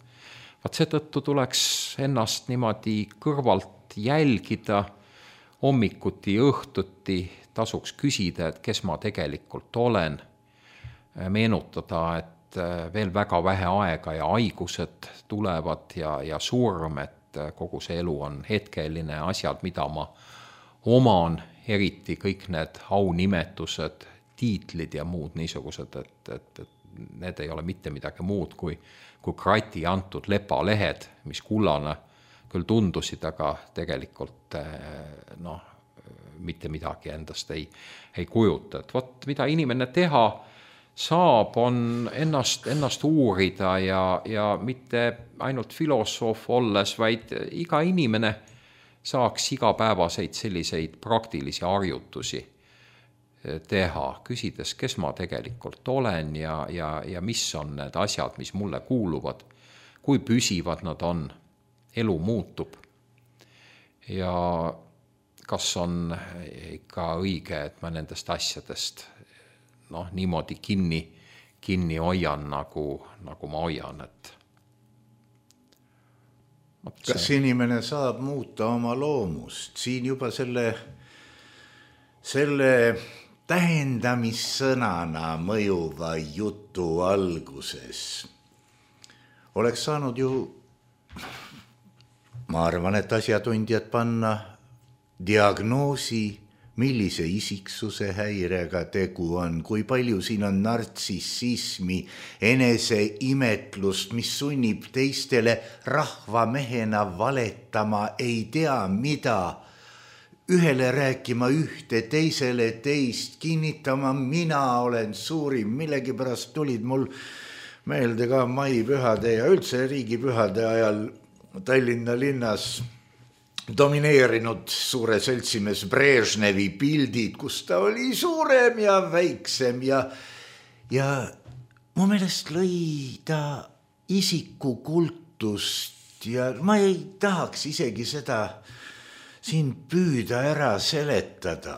Seetõttu tuleks ennast niimoodi kõrvalt jälgida, hommikuti, õhtuti tasuks küsida, et kes ma tegelikult olen, meenutada, et veel väga vähe aega ja haigused tulevad ja surm, et kogu see elu on hetkeline asjad, mida ma oman, eriti kõik need aunimetused, tiitlid ja muud niisugused, et need ei ole mitte midagi muud kui krati antud lepalehed, mis kullane küll tundusid, aga tegelikult mitte midagi endast ei kujuta. Et mida inimene teha saab, on ennast uurida ja mitte ainult filosoof olles, vaid iga inimene saaks igapäevaseid selliseid praktilisi harjutusi teha, küsides, kes ma tegelikult olen ja mis on need asjad, mis mulle kuuluvad, kui püsivad nad on, elu muutub ja kas on ikka õige, et ma nendest asjadest niimoodi kinni hoian, nagu ma hoian, et kas inimene saab muuta oma loomust? Siin juba selle tähendamissõnana mõjuva jutu alguses oleks saanud ju, ma arvan, et asjatundjad panna diagnoosi, millise isiksuse häirega tegu on, kui palju siin on nartsissismi, eneseimetlust, mis sunnib teistele rahvamehena valetama, ei tea mida, ühele rääkima ühte, teisele teist, kinnitama, mina olen suurim, millegipärast tulid mul meelde ka maipühade ja üldse riigipühade ajal Tallinna linnas domineerinud suure seltsimees Brežnevi pildid, kus ta oli suurem ja väiksem ja mu meelest lõi ta isikukultust ja ma ei tahaks isegi seda siin püüda ära seletada.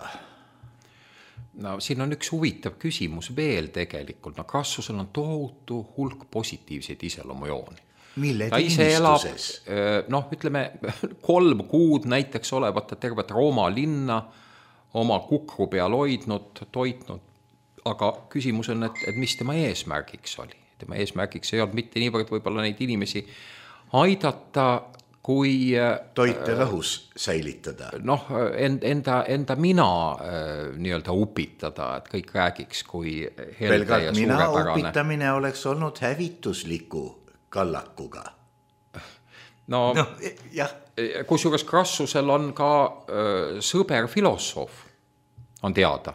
Siin on üks huvitav küsimus veel tegelikult. Krassusel on tohutu hulk positiivseid iseloomujooni. Mille ta ise elab, ütleme 3 kuud näiteks olevat tervet Rooma linna oma kukru peal hoidnud, toitnud, aga küsimus on, et mis tema eesmärgiks oli. Tema eesmärgiks ei olnud mitte niivõrd võib-olla neid inimesi aidata, kui toite lahus säilitada. Enda mina nii-öelda upitada, et kõik räägiks, kui helde ja mina suurepärane. upitamine oleks olnud hävitusliku kallakuga. Jah. Kusjuures Krassusel on ka sõber filosoof, on teada,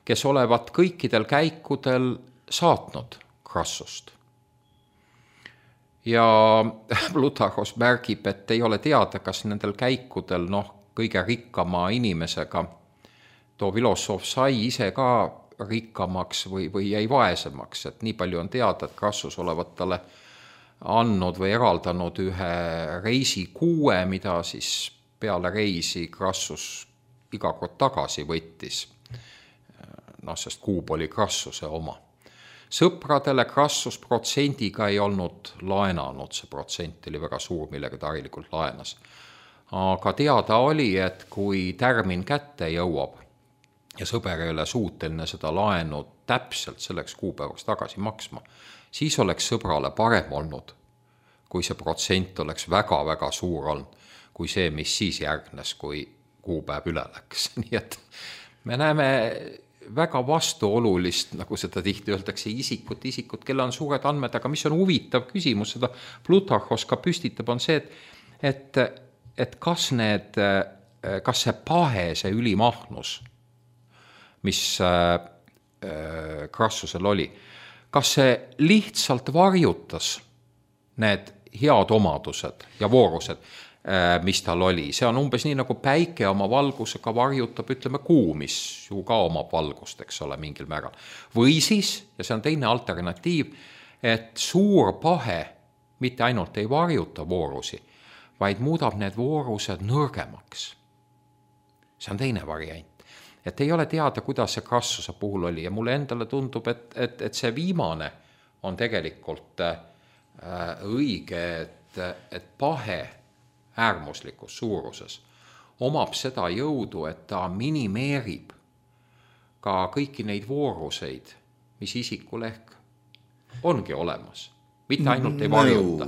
kes olevat kõikidel käikudel saatnud Krassust. ja Plutarhos märgib, et ei ole teada, kas nendel käikudel kõige rikkama inimesega too filosoof sai ise ka rikkamaks või jäi vaesemaks, et nii palju on teada, et Crassus olevat talle andnud või eraldanud ühe reisikuue, mida siis peale reisi Crassus iga kord tagasi võttis. Sest kuub oli Crassuse oma. Sõpradele Crassus protsendiga ei olnud laenanud, see protsent oli väga suur, millega ta harilikult laenas. Aga teada oli, et kui tärmin kätte jõuab ja sõber ei ole suuteline seda laenu täpselt selleks kuupäevaks tagasi maksma, siis oleks sõbrale parem olnud, kui see protsent oleks väga-väga suur olnud, kui see, mis siis järgnes, kui kuupäev üle läks. Nii et me näeme väga vastuolulist, nagu seda tihti öeldakse, isikut, kelle on suured andmed, aga mis on huvitav küsimus, seda Plutarhos ka püstitab, on see, et kas see pahe, see ülimahnus, mis Crassusel oli, kas see lihtsalt varjutas need head omadused ja voorused, mis tal oli. See on umbes nii, nagu päike oma valgusega varjutab, ütleme, kuu, mis ju ka omab valgust, eks ole, mingil määral. Või siis, ja see on teine alternatiiv, et suur pahe mitte ainult ei varjuta voorusi, vaid muudab need voorused nõrgemaks. See on teine variant. Et ei ole teada, kuidas see Crassuse puhul oli ja mulle endale tundub, et see viimane on tegelikult õige, et pahe äärmuslikus suuruses omab seda jõudu, et ta minimeerib ka kõiki neid vooruseid, mis isikul ehk ongi olemas. Mitte ainult ei varjuta.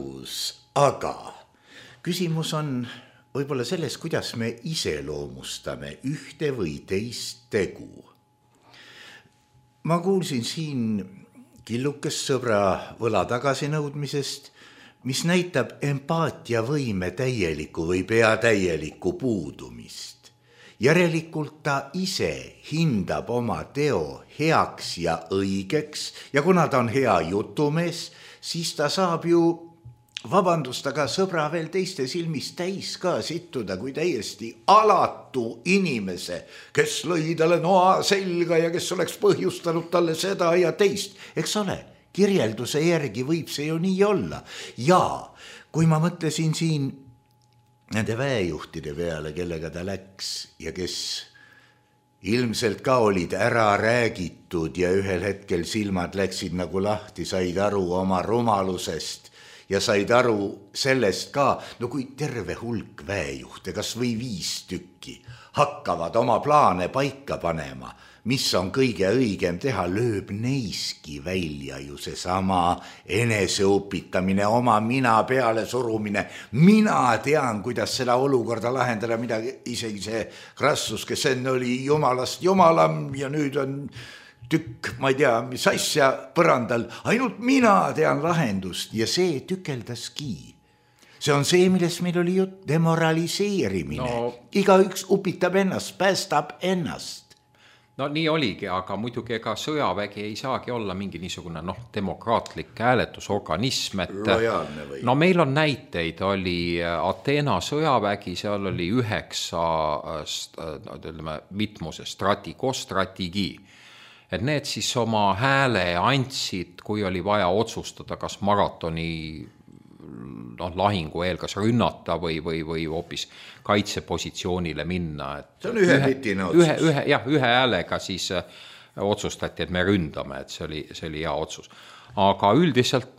Aga küsimus on võib-olla selles, kuidas me iseloomustame ühte või teist tegu. Ma kuulsin siin killukest sõbra võla tagasinõudmisest, mis näitab empaatiavõime täielikku või peatäielikku puudumist. Järelikult ta ise hindab oma teo heaks ja õigeks ja kuna ta on hea jutumees, siis ta saab ju vabandust, aga sõbra veel teiste silmis täis ka sittuda kui täiesti alatu inimese, kes lõi talle noa selga ja kes oleks põhjustanud talle seda ja teist. Eks ole, kirjelduse järgi võib see ju nii olla. Ja kui ma mõtlesin siin nende väejuhtide peale, kellega ta läks ja kes ilmselt ka olid ära räägitud ja ühel hetkel silmad läksid nagu lahti, said aru oma rumalusest ja said aru sellest ka, no kui terve hulk väejuhte, kas või 5 tükki, hakkavad oma plaane paika panema, mis on kõige õigem teha, lööb neiski välja ju seesama eneseõpitamine, oma mina peale surumine. Mina tean, kuidas seda olukorda lahendada, mida isegi see Crassus, kes enne oli jumalast jumalam ja nüüd on tükk, ma ei tea, mis asja põrandal, ainult mina tean lahendust ja see tükeldaski. See on see, millest meil oli jutt, demoraliseerimine. Igaüks upitab ennast, päästab ennast. No nii oligi, aga muidugi ega sõjavägi ei saagi olla mingi niisugune demokraatlik hääletusorganism, et no meil on näiteid, oli Ateena sõjavägi, seal oli 9 mitmuse strategi. Et need siis oma hääle andsid, kui oli vaja otsustada, kas maratoni lahingu eel, kas rünnata või hoopis kaitsepositsioonile minna. Et see on ühepitine otsus. Ühe häälega siis otsustati, et me ründame, et see oli hea otsus. Aga üldiselt,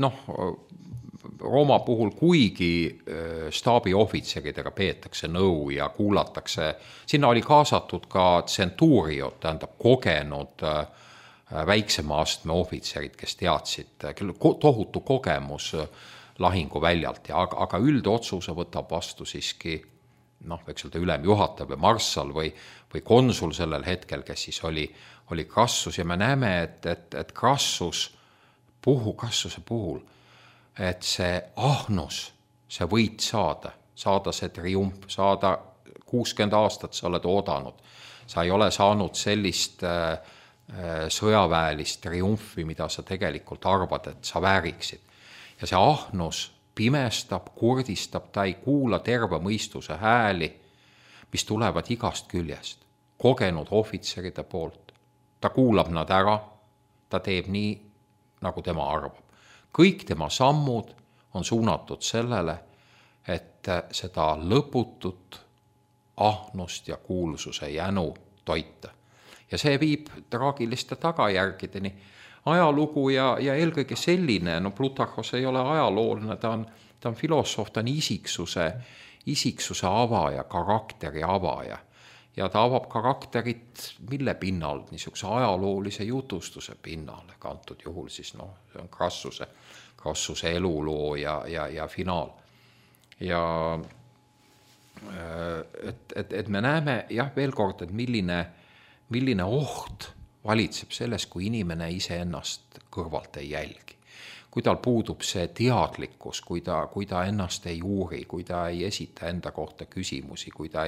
Rooma puhul kuigi staabiohvitseridega peetakse nõu ja kuulatakse, sinna oli kaasatud ka centuriot, tähendab kogenud väiksema astme ohvitserid, kes teadsid, kelle tohutu kogemus lahinguväljalt, aga üldotsuse võtab vastu siiski, võiks öelda ülemjuhataja või marssal või konsul sellel hetkel, kes siis oli Crassus ja me näeme, et Crassuse puhul, et see ahnus, see võit saada see triumf, saada 60 aastat sa oled oodanud. Sa ei ole saanud sellist sõjaväelist triumfi, mida sa tegelikult arvad, et sa vääriksid. Ja see ahnus pimestab, kurdistab, ta ei kuula terve mõistuse hääli, mis tulevad igast küljest, kogenud ohvitseride poolt. Ta kuulab nad ära, ta teeb nii, nagu tema arvab. Kõik tema sammud on suunatud sellele, et seda lõputut ahnust ja kuulsuse jänu toita. Ja see viib traagiliste tagajärgedeni. Ajalugu ja eelkõige selline, Plutarhos ei ole ajalooline, ta on filosoof, ta on isiksuse avaja, karakteri avaja. Ja ta avab karakterit mille pinnal, niisuguse ajaloolise jutustuse pinnal, antud juhul siis see on Krassuse eluloo ja finaal. Ja et me näeme veel kord, et milline oht valitseb selles, kui inimene iseennast kõrvalt ei jälgi. Kui tal puudub see teadlikkus, kui ta ennast ei uuri, kui ta ei esita enda kohta küsimusi, kui ta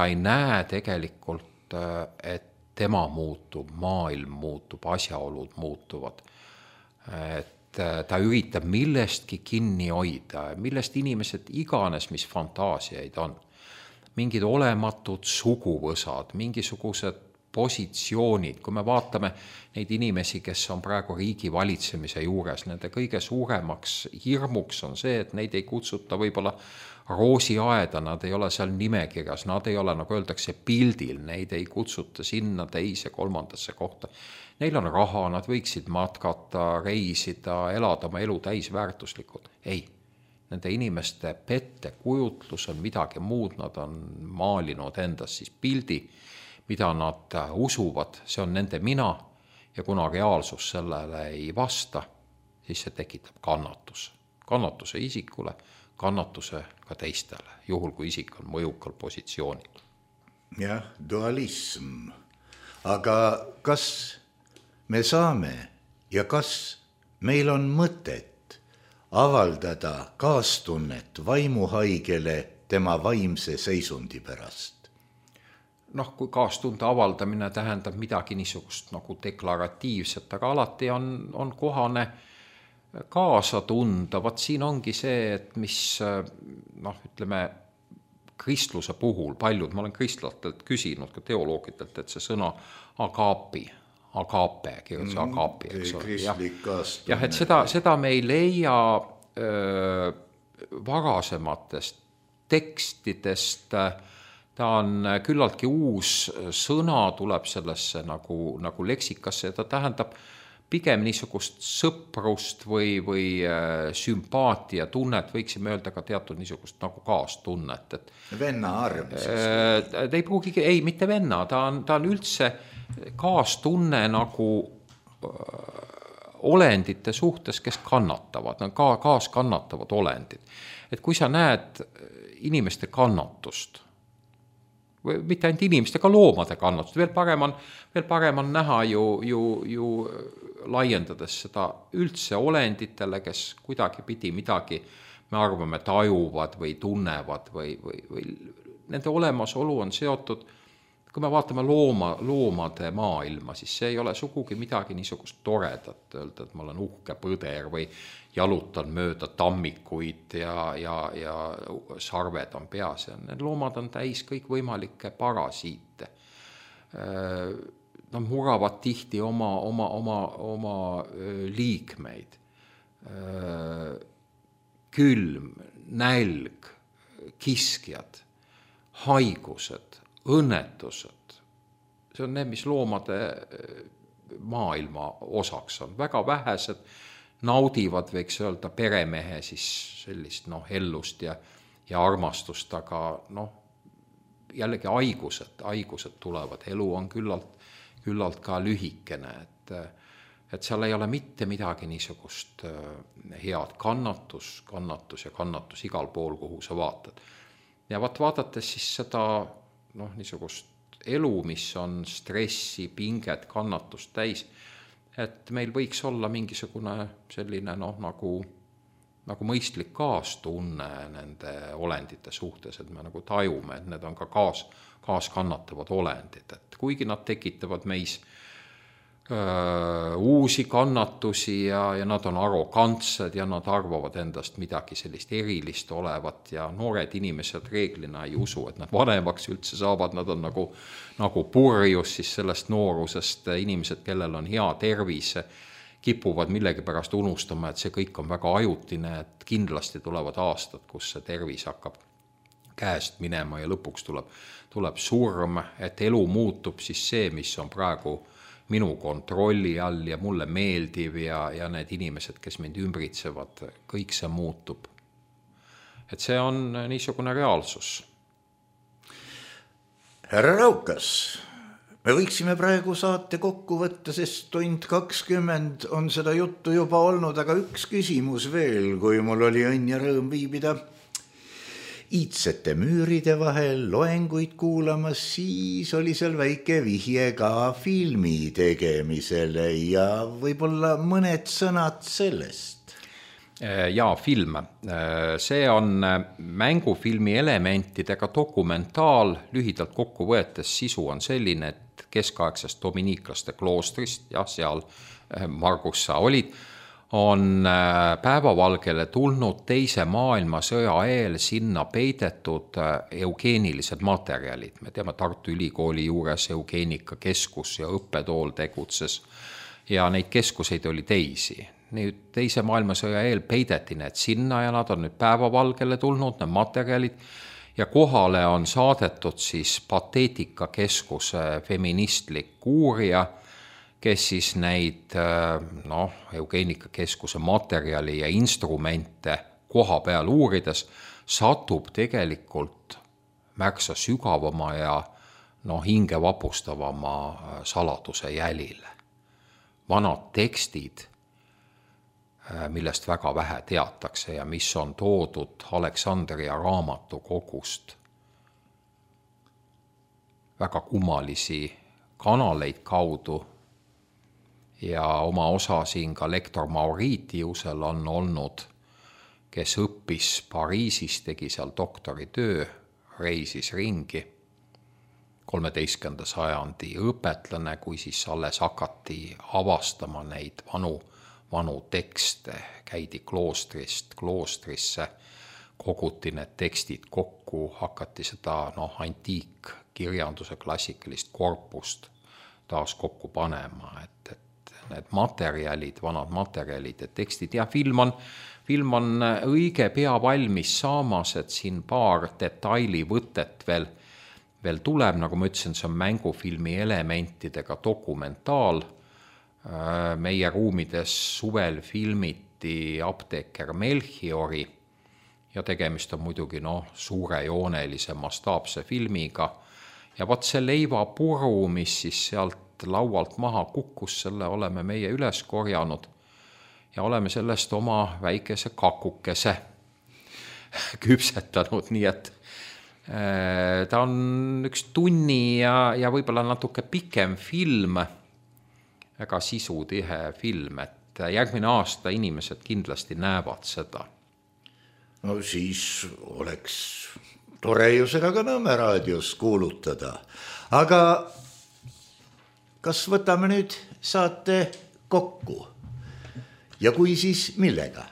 ei näe tegelikult, et tema muutub, maailm muutub, asjaolud muutuvad, et ta üritab millestki kinni hoida, millest inimesed iganes, mis fantaasiaid on. Mingid olematud suguvõsad, mingisugused positsioonid, kui me vaatame neid inimesi, kes on praegu riigi valitsemise juures, nende kõige suuremaks hirmuks on see, et neid ei kutsuta võib-olla roosiaeda, nad ei ole seal nimekirjas, nad ei ole, nagu öeldakse, pildil, neid ei kutsuta sinna teise, kolmandasse kohta. Neil on raha, nad võiksid matkata, reisida, elada oma elu täisväärtuslikult. Ei, nende inimeste pettekujutlus on midagi muud, nad on maalinud endas siis pildi, mida nad usuvad, see on nende mina ja kuna reaalsus sellele ei vasta, siis see tekitab kannatuse isikule, kannatuse ka teistele, juhul kui isik on mõjukal positsioonil. Jah, dualism. Aga kas me saame ja kas meil on mõtet avaldada kaastunnet vaimuhaigele tema vaimse seisundi pärast? Kui kaastunde avaldamine tähendab midagi niisugust nagu deklaratiivset, aga alati on kohane kaasa tunda. Vaat siin ongi see, et mis, ütleme, kristluse puhul paljud, ma olen kristlatelt küsinud ka teoloogidelt, et see sõna agape, kirjutus agape, eks ole. Jah, et seda me ei leia varasematest tekstidest. Ta on küllaltki uus sõna, tuleb sellesse nagu leksikasse ja ta tähendab pigem niisugust sõprust või sümpaatia tunnet, võiksime öelda ka teatud niisugust nagu kaastunnet. Venna arm siis? Ei pruugigi, ei, mitte venna, ta on üldse kaastunne nagu olendite suhtes, kes kannatavad, kaaskannatavad olendid. Et kui sa näed inimeste kannatust, mitte ainult inimeste, ka loomade kannatust, veel parem on näha ju laiendades seda üldse olenditele, kes kuidagi pidi midagi, me arvame, tajuvad või tunnevad või nende olemasolu on seotud, kui me vaatame loomade maailma, siis see ei ole sugugi midagi niisugust toredat, öelda, et ma olen uhke põder või jalutan mööda tammikuid ja sarved on peas. Need loomad on täis kõik võimalikke parasiite. Nad muravad tihti oma liikmeid. Külm, nälg, kiskjad, haigused, õnnetused. See on need, mis loomade maailma osaks on. Väga vähesed naudivad, võiks öelda, peremehe siis sellist ellust ja armastust, aga jällegi haigused tulevad, elu on küllalt ka lühikene, et seal ei ole mitte midagi niisugust head, kannatus igal pool, kuhu sa vaatad. Ja vaadates siis seda niisugust elu, mis on stressi, pinget, kannatust täis, et meil võiks olla mingisugune selline nagu mõistlik kaastunne nende olendite suhtes, et me nagu tajume, et need on ka kaaskannatavad olendid, et kuigi nad tekitavad meis uusi kannatusi ja nad on arrogantsed ja nad arvavad endast midagi sellist erilist olevat ja noored inimesed reeglina ei usu, et nad vanemaks üldse saavad, nad on nagu purjus siis sellest noorusest, inimesed, kellel on hea tervis, kipuvad millegipärast unustama, et see kõik on väga ajutine, et kindlasti tulevad aastad, kus see tervis hakkab käest minema ja lõpuks tuleb surm, et elu muutub siis see, mis on praegu minu kontrolli all ja mulle meeldiv ja need inimesed, kes mind ümbritsevad, kõik see muutub. Et see on niisugune reaalsus. Härra Raukas, me võiksime praegu saate kokku võtta, sest tund 20 on seda juttu juba olnud, aga üks küsimus veel, kui mul oli õnn ja rõõm viibida iidsete müüride vahel loenguid kuulamas, siis oli seal väike vihje ka filmi tegemisele ja võib-olla mõned sõnad sellest. Jaa, film. See on mängufilmi elementidega dokumentaal, lühidalt kokku võetes sisu on selline, et keskaegsest dominiiklaste kloostrist, ja seal Margus sa olid, on päevavalgele tulnud teise maailmasõja eel sinna peidetud eugeenilised materjalid. Me teame, Tartu Ülikooli juures eugeenikakeskus ja õppetool tegutses ja neid keskuseid oli teisi. Nüüd teise maailmasõja eel peideti need sinna ja nad on nüüd päevavalgele tulnud, need materjalid, ja kohale on saadetud siis Pateetikakeskuse feministlik uurija, kes siis neid eugeenikakeskuse materjali ja instrumente koha peal uurides satub tegelikult märksa sügavama ja hinge vapustavama saladuse jälile. Vanad tekstid, millest väga vähe teatakse ja mis on toodud Aleksandria raamatukogust, väga kummalisi kanaleid kaudu, ja oma osa siin ka lektor Mauritiusel on olnud, kes õppis Pariisis, tegi seal doktoritöö, reisis ringi, 13. sajandi õpetlane, kui siis alles hakati avastama neid vanu tekste, käidi kloostrisse, koguti need tekstid kokku, hakati seda antiikkirjanduse klassikalist korpust taas kokku panema, et need materjalid, vanad materjalid ja tekstid ja film on õige pea valmis saamas, et siin paar detailivõtet veel tuleb, nagu ma ütlesin, see on mängufilmi elementidega dokumentaal. Meie ruumides suvel filmiti Apteeker Melchiori ja tegemist on muidugi suurejoonelise mastaapse filmiga ja vaat see leivapuru, mis siis sealt laualt maha kukkus, selle oleme meie üles korjanud ja oleme sellest oma väikese kakukese küpsetanud, nii et ta on üks tunni ja võib-olla natuke pikem film, väga sisutihe film, et järgmine aasta inimesed kindlasti näevad seda. No siis oleks tore ju seda ka Nõmme raadios kuulutada, aga kas võtame nüüd saate kokku? Ja kui siis millega?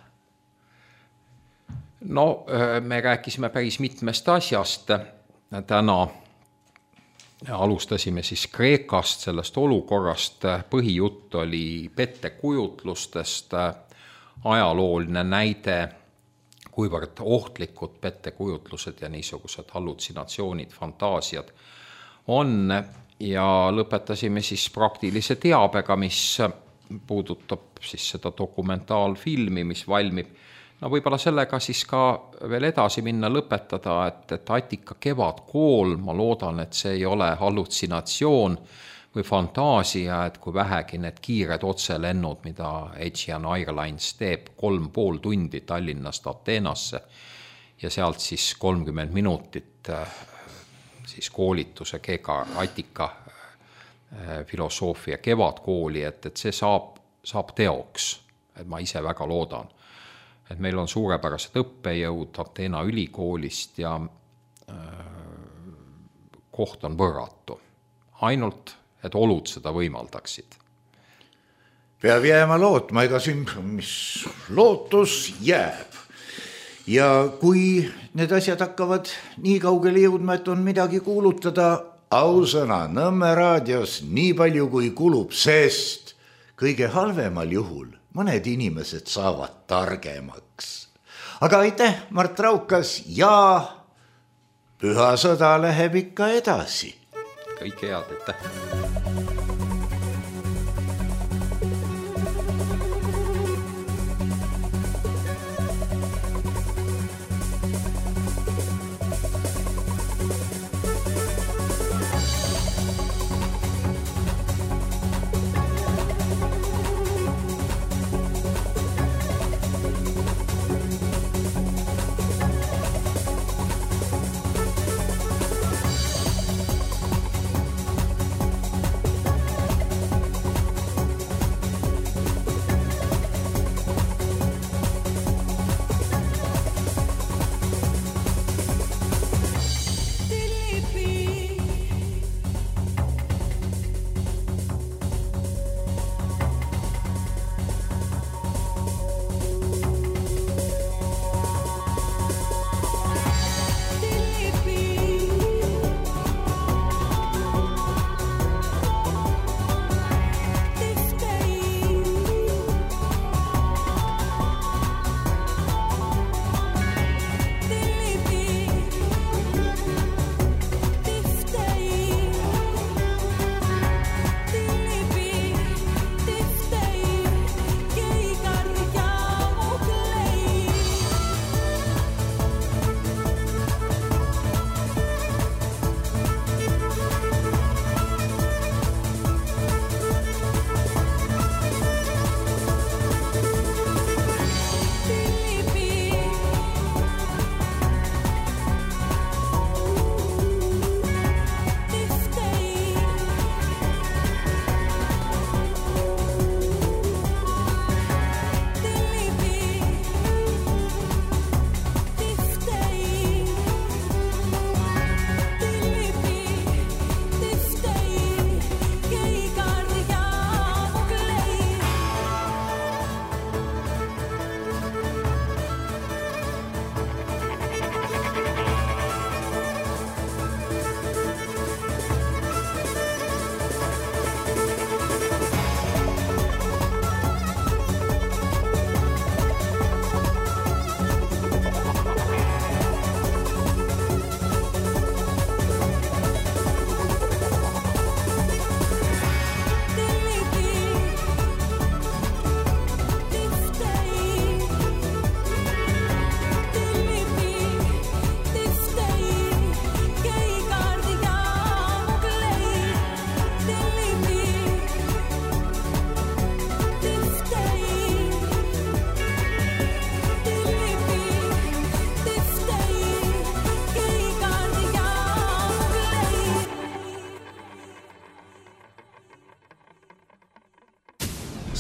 Me rääkisime päris mitmest asjast. Täna alustasime siis Kreekast, sellest olukorrast. Põhijutt oli pettekujutlustest, ajalooline näide, kuivõrd ohtlikud pettekujutlused ja niisugused hallutsinatsioonid, fantaasiad on. Ja lõpetasime siis praktilise teabega, mis puudutab siis seda dokumentaalfilmi, mis valmib. Võib-olla sellega siis ka veel edasi minna, lõpetada, et Attika kevadkool, ma loodan, et see ei ole hallutsinatsioon või fantaasia, et kui vähegi need kiired otselennud, mida Aegean Airlines teeb 3,5 tundi Tallinnast Ateenasse ja sealt siis 30 minutit siis koolituse Attika filosoofia kevadkooli, et see saab teoks, et ma ise väga loodan. Et meil on suurepärased õppejõud Ateena ülikoolist ja koht on võrratu. Ainult, et olud seda võimaldaksid. peab jääma lootma, ega siin mis lootus jääb. Ja kui need asjad hakkavad nii kaugele jõudma, et on midagi kuulutada, ausõna Nõmme raadios nii palju kui kulub, sest kõige halvemal juhul mõned inimesed saavad targemaks. Aga aitäh, Mart Raukas, ja püha sõda läheb ikka edasi. Kõike head, aitäh!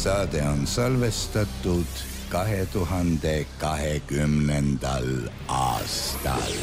Saade on salvestatud 2020. aastal.